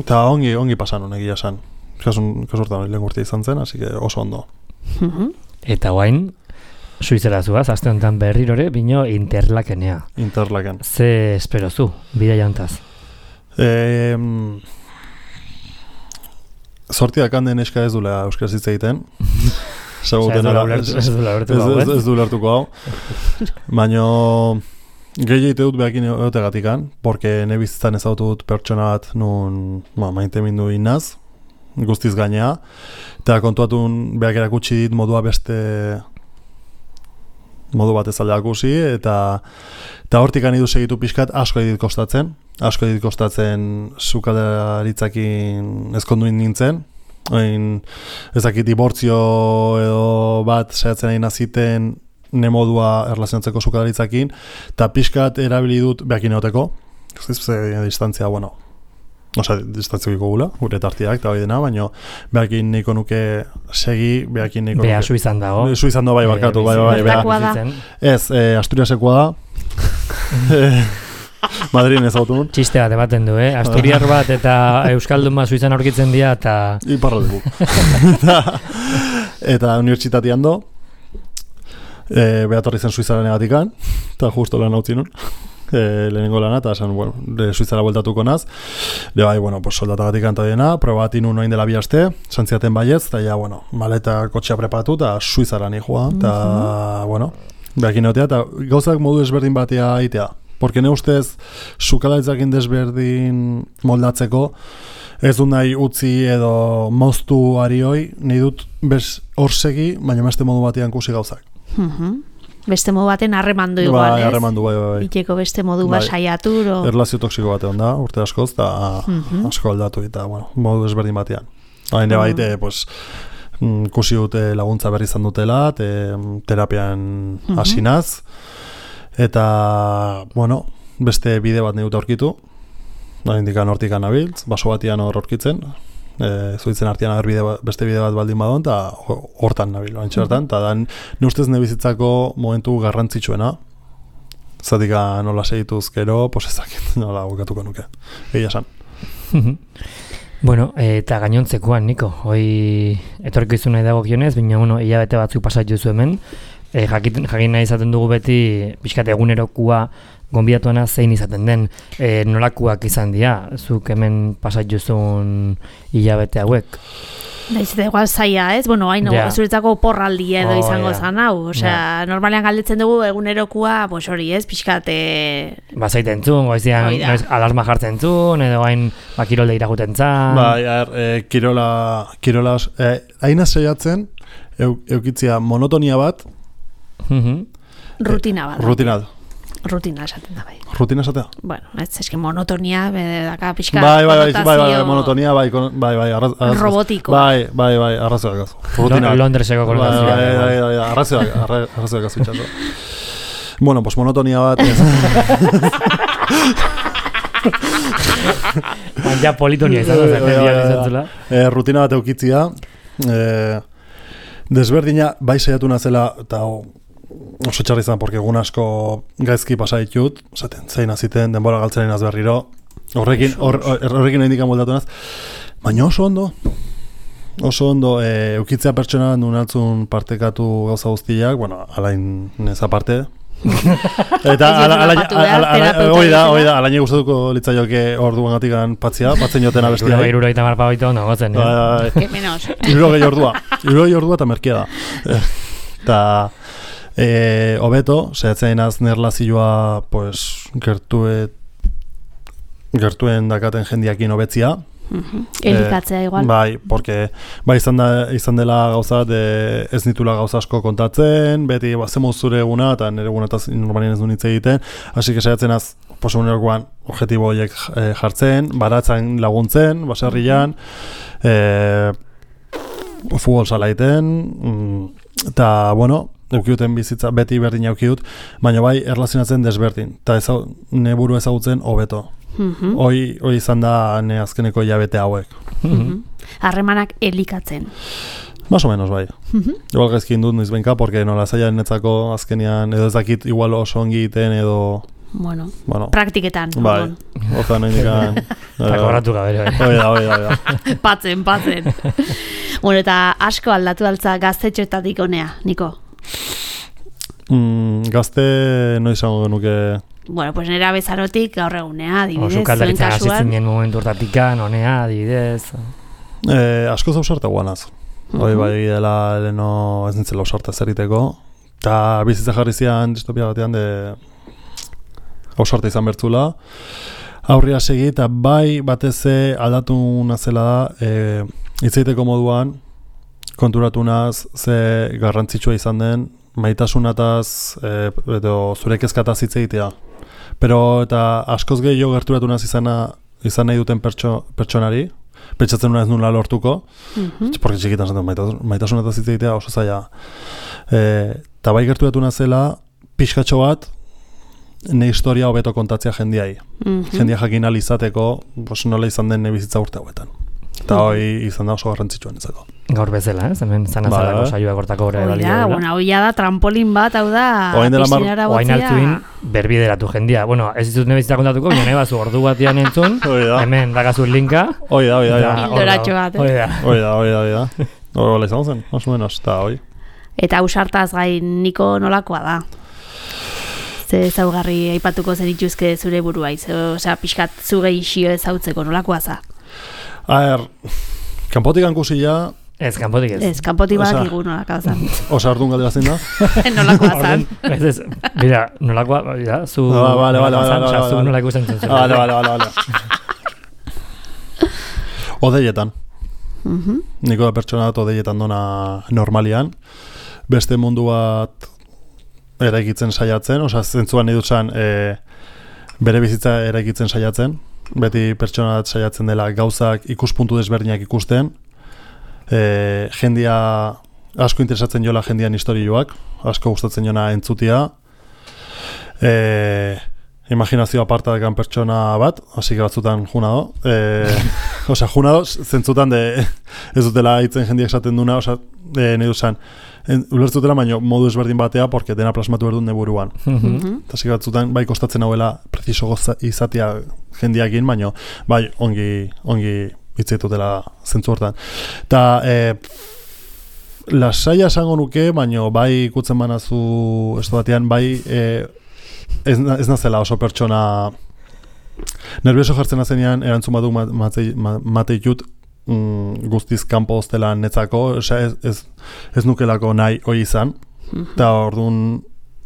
[SPEAKER 3] eta ongi pasan honek esan. Kasurtan lehen urte izan zen, así que oso ondo.
[SPEAKER 1] Eta guain, Suizera zuaz, aste honetan berrirore, bino Interlakenea.
[SPEAKER 3] Interlaken.
[SPEAKER 1] Ze espero zu, bida jantaz?
[SPEAKER 3] Sortiak handen eska ez dula euskaraz hitz egiten. Ez du lertuko hau. Baina gehi egite dut behakin egotegatikan, porque nebizitzan ezautu pertsona bat nun maite mindu inaz, guztiz gainea, eta kontuatun behak erakutsi dit modua beste modu bat ez alde akusi, eta hortik anidu segitu pixkat asko edit kostatzen sukaldaritzakin ezkonduin nintzen, ezakit dibortzio edo bat saiatzen nahi naziten nemodua erlazionatzeko sukaldaritzakin, eta pixkat erabili dut behakin egoteko, distantzia, bueno, distantziko gula, gure tartiak, eta hori dena, baina behakin nahiko nuke segi, behakin nahiko nuke...
[SPEAKER 1] Beha Suizan dago.
[SPEAKER 3] Suizan dago, bai, barkatu, bai. Ez, Asturiasekoa da. Madrien ez autu nun.
[SPEAKER 1] Txiste bat ematen du, Asturiar bat eta Euskaldun bat Suizan aurkitzen dira, eta...
[SPEAKER 3] Iparraldeku. Eta unibertsitatean do, behatorri zen Suizaren egatikan, eta justo lan hau zinun. Lehenengo lana, eta esan, bueno, Suizara bueltatuko naz. Bai, bueno, pues soldatagatik antadiena, probatin un oin dela bi aste, santziaten baietz, eta ja, bueno, maleta kotxea preparatu, eta Suizara nihua, eta, bueno, behakin egotea, eta gauzak modu desberdin batea aitea. Porque ne ustez, sukaldaritzakin desberdin moldatzeko, ez dut nahi utzi edo moztu arioi, nahi dut bez hor segi, baina beste modu batean kusi gauzak.
[SPEAKER 2] Beste modu baten harremandu igual,
[SPEAKER 3] ez? Harremandu, bai.
[SPEAKER 2] Iteko beste modu saiatu.
[SPEAKER 3] Erlazio toksiko batean da, urte askoz, eta asko aldatu, eta, bueno, modu desberdin batean. Haine baite, pues, ikusi dute laguntza berri izan dutela, terapian hasinaz, eta, bueno, beste bide bat neut aurkitu, indikan hortikan abiltz, baso batian hor aurkitzen, zuitzen artean beste bide bat baldin badon, eta hortan nabil, antxertan, eta dan, nustez nebizitzako momentu garrantzitsuena, zatika nola segituz gero, pues ezakit nola bukatuko nuke, egia esan.
[SPEAKER 1] Bueno, eta gainontzekoan, Niko, hoi etorriko izu nahi dago kionez, baina, bueno, hilabete batzuk pasat jozu hemen, jakin nahi izaten dugu beti, pixkat egunerokua gonbidatuana zein izaten den, nolakuak izan dira, zuk hemen pasat jozun hilabete hauek.
[SPEAKER 2] Daiz, eta igual zaila, ez? Bueno, hain zuretzako porraldia edo izango zan hau. Osea, normalean galdetzen dugu egunerokua, pues hori, ez? Pixkate...
[SPEAKER 1] Bazaiten zuen, goizian, alarma jartzen zuen, edo hain kirolde iraguten zan.
[SPEAKER 3] Kirola, hain saiatzen, eukitzia monotonia bat.
[SPEAKER 2] Rutina bat. Rutina esaten da, bai.
[SPEAKER 3] Rutina esatea?
[SPEAKER 2] Bueno, ez eski monotonia, daka pixka
[SPEAKER 3] bai, monotonia, bai,
[SPEAKER 2] robotiko.
[SPEAKER 3] Bai, arrazoak gazu.
[SPEAKER 1] Londreseko konotazioa.
[SPEAKER 3] Bai, arrazoak gazu itxaso. Bueno, pues monotonia bat.
[SPEAKER 1] Ja politonia izan.
[SPEAKER 3] Rutina bat eukitzia. Desberdina, bai saiatu nazela, eta oso txarri izan, porque egun asko gaizki pasa ditut, zein aziten, denbora galtzen inaz berriro, horrekin indikan moldatu naz, baina oso ondo, eukitzea pertsona nunaltzun partekatu gauza guztiak, bueno, alain neza parte, eta alaini gustatuko litzaioke orduan gatikan patzen joten abestia.
[SPEAKER 1] 70 marpabaito ondo gotzen.
[SPEAKER 2] Que menos.
[SPEAKER 3] 70 ordua eta merkia da. Eta hobeto, zehatzen az nerlazioa pues, gertuen dakaten jendiakin hobetzia.
[SPEAKER 2] Elikatzea igual.
[SPEAKER 3] Bai, porque izan dela gauza ez nitula gauza asko kontatzen, beti zemuz zure eguna, eta nire egunetaz normalien ez du nitze egiten, hasi que saiatzen az posunerokoan objektibo horiek jartzen, baratzen laguntzen, baserrian, futbol salaiten, eta, bueno, eukiuten bizitza, beti berdin eukiut, baina bai erlazionatzen desberdin, eta neburu ezagutzen hobeto. Hoi izan da ne azkeneko hilabete hauek.
[SPEAKER 2] Harremanak elikatzen.
[SPEAKER 3] Más o menos, bai. Igual gaizkin dut noizbenka, porque nola zaila netzako azkenean, edo ez dakit igual oso ongi egiten, edo...
[SPEAKER 2] Bueno, praktiketan.
[SPEAKER 3] Bai, oza nahi indikan...
[SPEAKER 1] Eta kobratu gabe.
[SPEAKER 3] Hoi da.
[SPEAKER 2] Patzen. Bueno, eta asko aldatu altza gaztetxoetatik honea, Niko?
[SPEAKER 3] Gazte noiz izango genuke...
[SPEAKER 2] Bueno, pues nera bezarotik gaur egunea, adibidez.
[SPEAKER 1] Oso kaldaritzen hasitzen dien momentu hortatikan, honea, adibidez.
[SPEAKER 3] Asko zausarte guanaz. Hoi bai dela leno ez nintzela ausarte zeriteko. Eta bizitza jarri zian distopia batean ausarte izan bertzula. Aurria segi eta bai bateze aldatu nazela da hitzeiteko moduan konturatu naz ze garrantzitsua izan den maitasunataz edo zure kezkataz hitz egitea. Pero eta askoz gehiago gerturatu naz izan nahi duten pertsonari, pentsatzen nuen ez nula lortuko, porque txikitan zaten maitasunataz hitz egitea oso zaila. Eta bai gerturatu nazela pixkatxo bat ne historia hobeto kontatzea jendiai. Jendia jakin alizateko nola izan den nebizitza urte hauetan. Eta hoi izan da oso garrantzitsuan ezako.
[SPEAKER 1] Gaur bezala, hemen zanazalako saioa gortako gora ebalio.
[SPEAKER 2] Bueno, hoi da trampolin bat, hau da, piscinara botzea.
[SPEAKER 1] Oain altuin, berbideratu jendia. Bueno, ez ditut nebizitza kontatuko, baina nahi bazu ordu batian entzun, hemen dakazu linka.
[SPEAKER 3] Hoi da.
[SPEAKER 2] Hildoratxo bat.
[SPEAKER 3] Hoi da. Hoi izan zen, más o menos, eta hoi.
[SPEAKER 2] Eta ausartaz gain Niko nolakoa da? Ze zaugarri aipatuko zenituzke zure buruaiz, osea, pixkat zu gehixio ezautzeko nolakoa za?
[SPEAKER 3] Kanpotik ankusila...
[SPEAKER 1] Ez, kanpotik ez.
[SPEAKER 2] Ez, kanpotik bat igu nolakoa zan.
[SPEAKER 3] Osa ardun galdera zein da?
[SPEAKER 2] Nolakoa zan.
[SPEAKER 1] Ez, mira, nolakoa, zu...
[SPEAKER 3] Vale.
[SPEAKER 1] Zu nolako ikusten zen.
[SPEAKER 3] Vale. Odeietan. Niko da pertsona bat odeietan dona normalian. Beste mundu bat eraikitzen saiatzen, osa zentzuan nahi dutzen bere bizitza eraikitzen saiatzen. Beti pertsona bat saiatzen dela gauzak ikuspuntu desberdinak ikusten, jendia asko interesatzen jola jendian historioak, asko gustatzen jona entzutia, imaginazio aparta dekan pertsona bat, hasi batzutan juna do, osea, juna do, zentzutan ez dutela hitzen jendiak esaten duna, osea, nahi duzan, ulertzutela, baina modu ezberdin batea, porque dena plasmatu berdun neburuan. Eta hasi batzutan, bai kostatzen hauela preciso izatea jendiakin, baina bai ongi hitzaitutela zentzu hortan. Eta lasaia esango nuke, baina bai ikutzen banazu ez batean, bai ez nazela oso pertsona nervioso jartzen nazenean erantzun badu mateitut guztiz kanpo hostela netzako, ez nukelako nahi hoi izan, eta orduan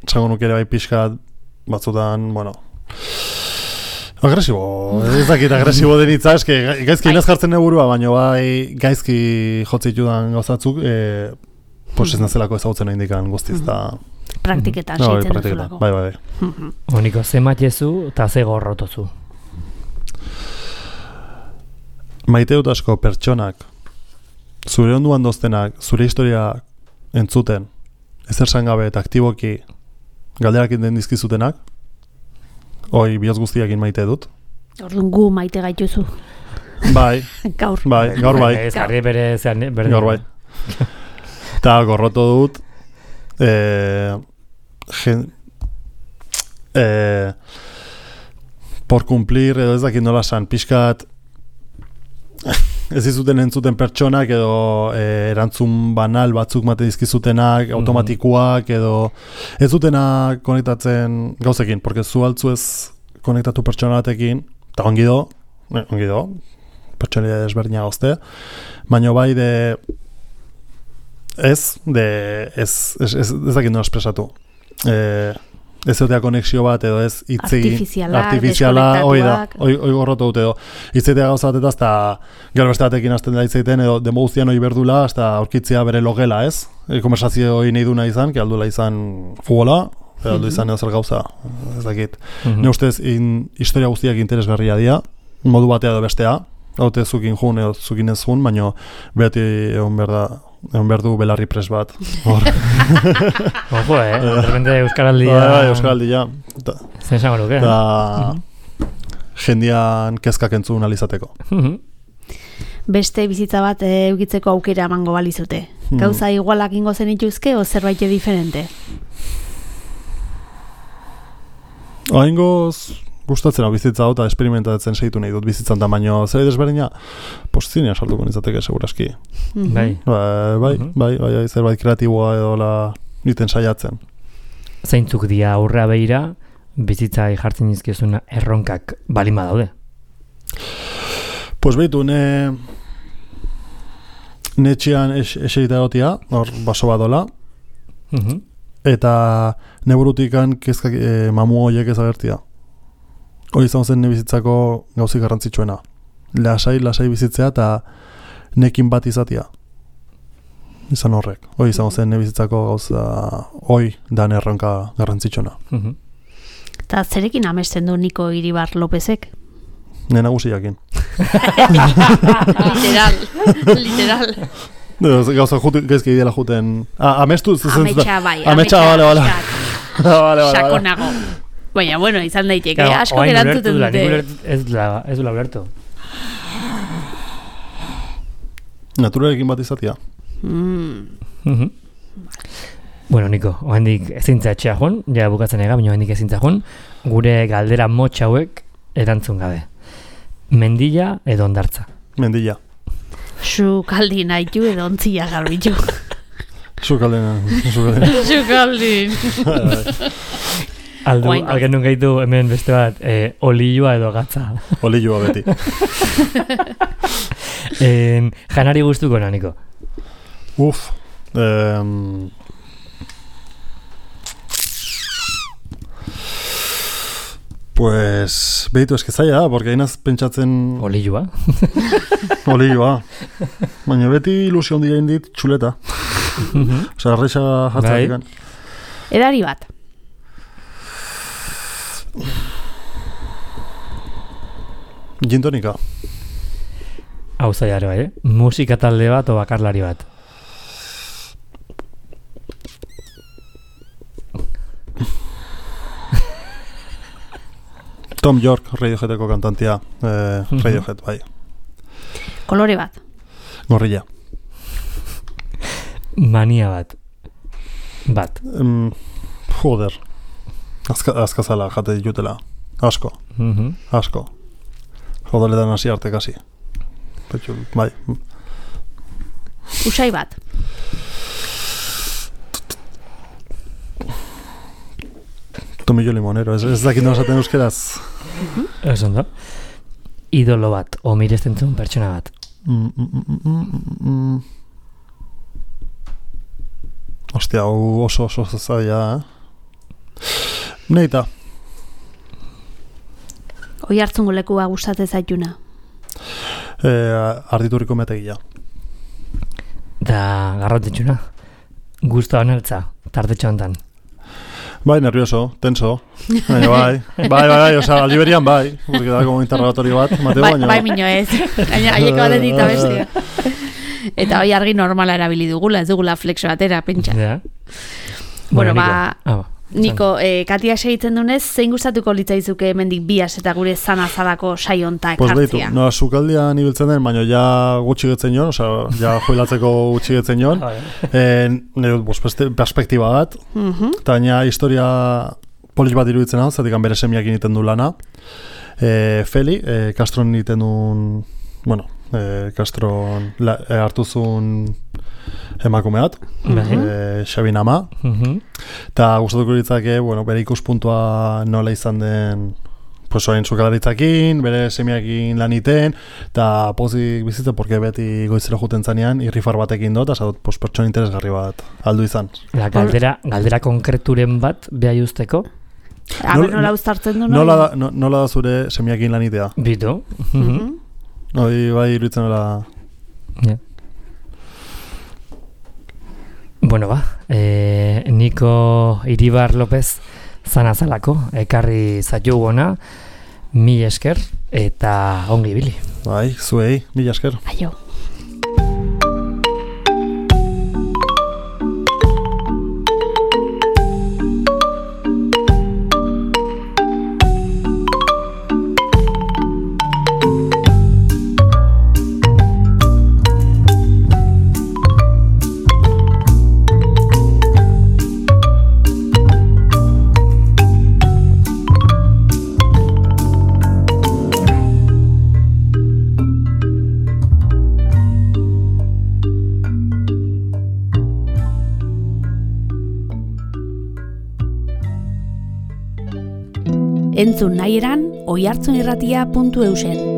[SPEAKER 3] esango nuke ere bai pixka batzutan, bueno, agresibo, ez dakit agresibo denitza, eske gaizki inaz jartzen neburua, baina bai gaizki jotzitudan gauzatzuk, pues ez nazelako ezagutzen nahi indikan guztiz, eta
[SPEAKER 2] praktiketan seitzen duzulako.
[SPEAKER 3] Bai.
[SPEAKER 1] Honiko, ze matiezu eta ze gorrotozu?
[SPEAKER 3] Maite dut asko pertsonak, zure onduan doztenak, zure historia entzuten, ezer sangabe eta aktiboki galderak den dizkizutenak, hoi bihotz guztiakin maite dut.
[SPEAKER 2] Orduan gu maite gaituzu.
[SPEAKER 3] Bai.
[SPEAKER 2] Gaur
[SPEAKER 3] bai.
[SPEAKER 1] Ez jarri bere zean,
[SPEAKER 3] gaur bai. Eta gorroto dut, por cumplir, edo ez dakit nola san, pixkat, ez izuten entzuten pertsonak edo erantzun banal batzuk mate dizkizutenak, automatikoak edo ez dutena konektatzen gauzekin, porque zu altzu ez konektatu pertsona batekin, eta ongi do, pertsonalia desberdina gozte, baina bai ez dakit nola espresatu. Ez egotea konexio bat edo ez artifiziala, hoi gorrotu dut edo hitzetea gauza bat eta gero beste batekin hasten da hitzeiten edo demo guztian hoi berdula hasta aurkitzea bere logela, ez? Konversazio hoi nahi duna izan, que aldula izan futbola, aldu izan edo zer gauza, ez dakit. Ne ustez, historia guztiak interesgarria dira, modu batea edo bestea, haute zukin jun edo zukin ez jun, baina beti egon behar du belarri pres bat.
[SPEAKER 1] Ojo, de repente Euskaraldia...
[SPEAKER 3] Euskaraldia.
[SPEAKER 1] Zen esango nuke.
[SPEAKER 3] Jendian kezkak entzun alizateko.
[SPEAKER 2] Beste bizitza bat eukitzeko aukera emango balizute. Gauza igualak ingo zenituzke o zerbait diferente?
[SPEAKER 3] Oaingoz gustatzen hau bizitza eta experimentatzen segitu nahi dut bizitzan da, baina zer desberdina zinean sartuko nintzateke seguraski. Bai, zerbait kreatiboa edo niten saiatzen.
[SPEAKER 1] Zeintzuk dia aurrea behira bizitzai jartzen dizkizuna erronkak balima daude?
[SPEAKER 3] Pues behitu, netxean eserita egotia, hor baso badola, eta neburutikan kezkak mamu horiek ezagertia. Hoi izan zen bizitzako gauzik garrantzitsuena. Lasai bizitzea eta nekin bat izatea. Izan horrek. Hoi izan zen bizitzako gauza hoi dan erronka garrantzitsuena.
[SPEAKER 2] Eta zerekin amesten du Niko Iribar Lopezek?
[SPEAKER 3] Nena guziakin.
[SPEAKER 2] Literal.
[SPEAKER 3] Gauza gaizki ideala juten... Amestu?
[SPEAKER 2] Ametsa, bai.
[SPEAKER 3] Ametsa, bale.
[SPEAKER 2] Sakonago. Baina, bueno, izan daiteke, asko gerantzuten dute.
[SPEAKER 1] Ez du ulertu.
[SPEAKER 3] Naturalekin bat izatea.
[SPEAKER 1] Bueno, Niko, ohendik ezintza etxea joan, ja bukatzen ega, baina ohendik ezintza joan, gure galdera motx hauek erantzun gabe. Mendilla edo hondartza?
[SPEAKER 3] Mendilla.
[SPEAKER 2] Sukaldin haitu edo ontzia garbitu.
[SPEAKER 3] Sukaldin.
[SPEAKER 1] Algen nun gaitu hemen beste bat, olioa edo gatza.
[SPEAKER 3] Olioa beti.
[SPEAKER 1] Janari gustuko na, Niko?
[SPEAKER 3] Pues, behitu eske zaila da, porque hainaz pentsatzen...
[SPEAKER 1] Olioa?
[SPEAKER 3] Olioa. Baina beti ilusio handia indit txuleta. Osa, arreixa jartzatik.
[SPEAKER 2] Edari bat.
[SPEAKER 3] Gintonika.
[SPEAKER 1] Hau zaiare bai, musika talde bat o bakarlari bat?
[SPEAKER 3] Tom York, Radioheadeko kantantia, Radiohead, bai.
[SPEAKER 2] Kolore bat?
[SPEAKER 3] Gorrilla.
[SPEAKER 1] Mania bat? Bat?
[SPEAKER 3] Joder. Azkazala jate ditutela. Asko. Asko. Jodoletan hasi arte kasi. Bai.
[SPEAKER 2] Usai bat?
[SPEAKER 3] Tomillo limonero, ez dakit nola esaten euskeraz.
[SPEAKER 1] Ez ondo. Idolo bat, o miresten zuen pertsona bat?
[SPEAKER 3] Ostia, oso zaila, Neita.
[SPEAKER 2] Oihartzungo lekua gustatzen zaituna?
[SPEAKER 3] Arditurriko metegia.
[SPEAKER 1] Da garrantzitsuna. Gustoa neltza, tartetxo hontan.
[SPEAKER 3] Bai, nervioso, tenso. Bai, osea, aldi berian bai, porque da como interrogatorio bat, Mateo, baina.
[SPEAKER 2] Bai, mino ez. Gaina haiek batetik eta bestia. Eta hoi argi normala erabili dugula, ez dugula flexo batera, pentsa.
[SPEAKER 1] Ja.
[SPEAKER 2] Bueno, Niko, Katia segitzen dunez, zein gustatuko litzaizuke hemendik bias eta gure zanazalako saionta ekartzea?
[SPEAKER 3] No, sukaldian ibiltzen den, baina ja gutxi getzen joan, osea, ja joilatzeko gutxi getzen joan. Perspektiba bat, eta baina historia polis bat iruditzen hau, zatik bere semiak initen du lana. Feli, Castron initen duen, bueno, Castron hartu zuen emakume bat, Xabin ama, eta gustatuko ditzake, bere ikuspuntua nola izan den, orain sukalaritzakin, bere semiakin laniten, eta pozik bizitza, porque beti goizero juten zanean, irrifar batekin dut, eta pertsona interesgarri bat aldu izan.
[SPEAKER 1] Galdera konkreturen bat, behai usteko?
[SPEAKER 2] Nola uztartzen du?
[SPEAKER 3] Nola da zure semiakin lanitea?
[SPEAKER 1] Bitu.
[SPEAKER 3] Bai, iruditzen nola...
[SPEAKER 1] Bueno, Niko Iribar López zanazalako, ekarri zaitu gona, 1000 esker, eta ongi ibili.
[SPEAKER 3] Bai, zuei, 1000 esker.
[SPEAKER 2] Aio. Entzun nahi eran, oihartzunirratia.eusen.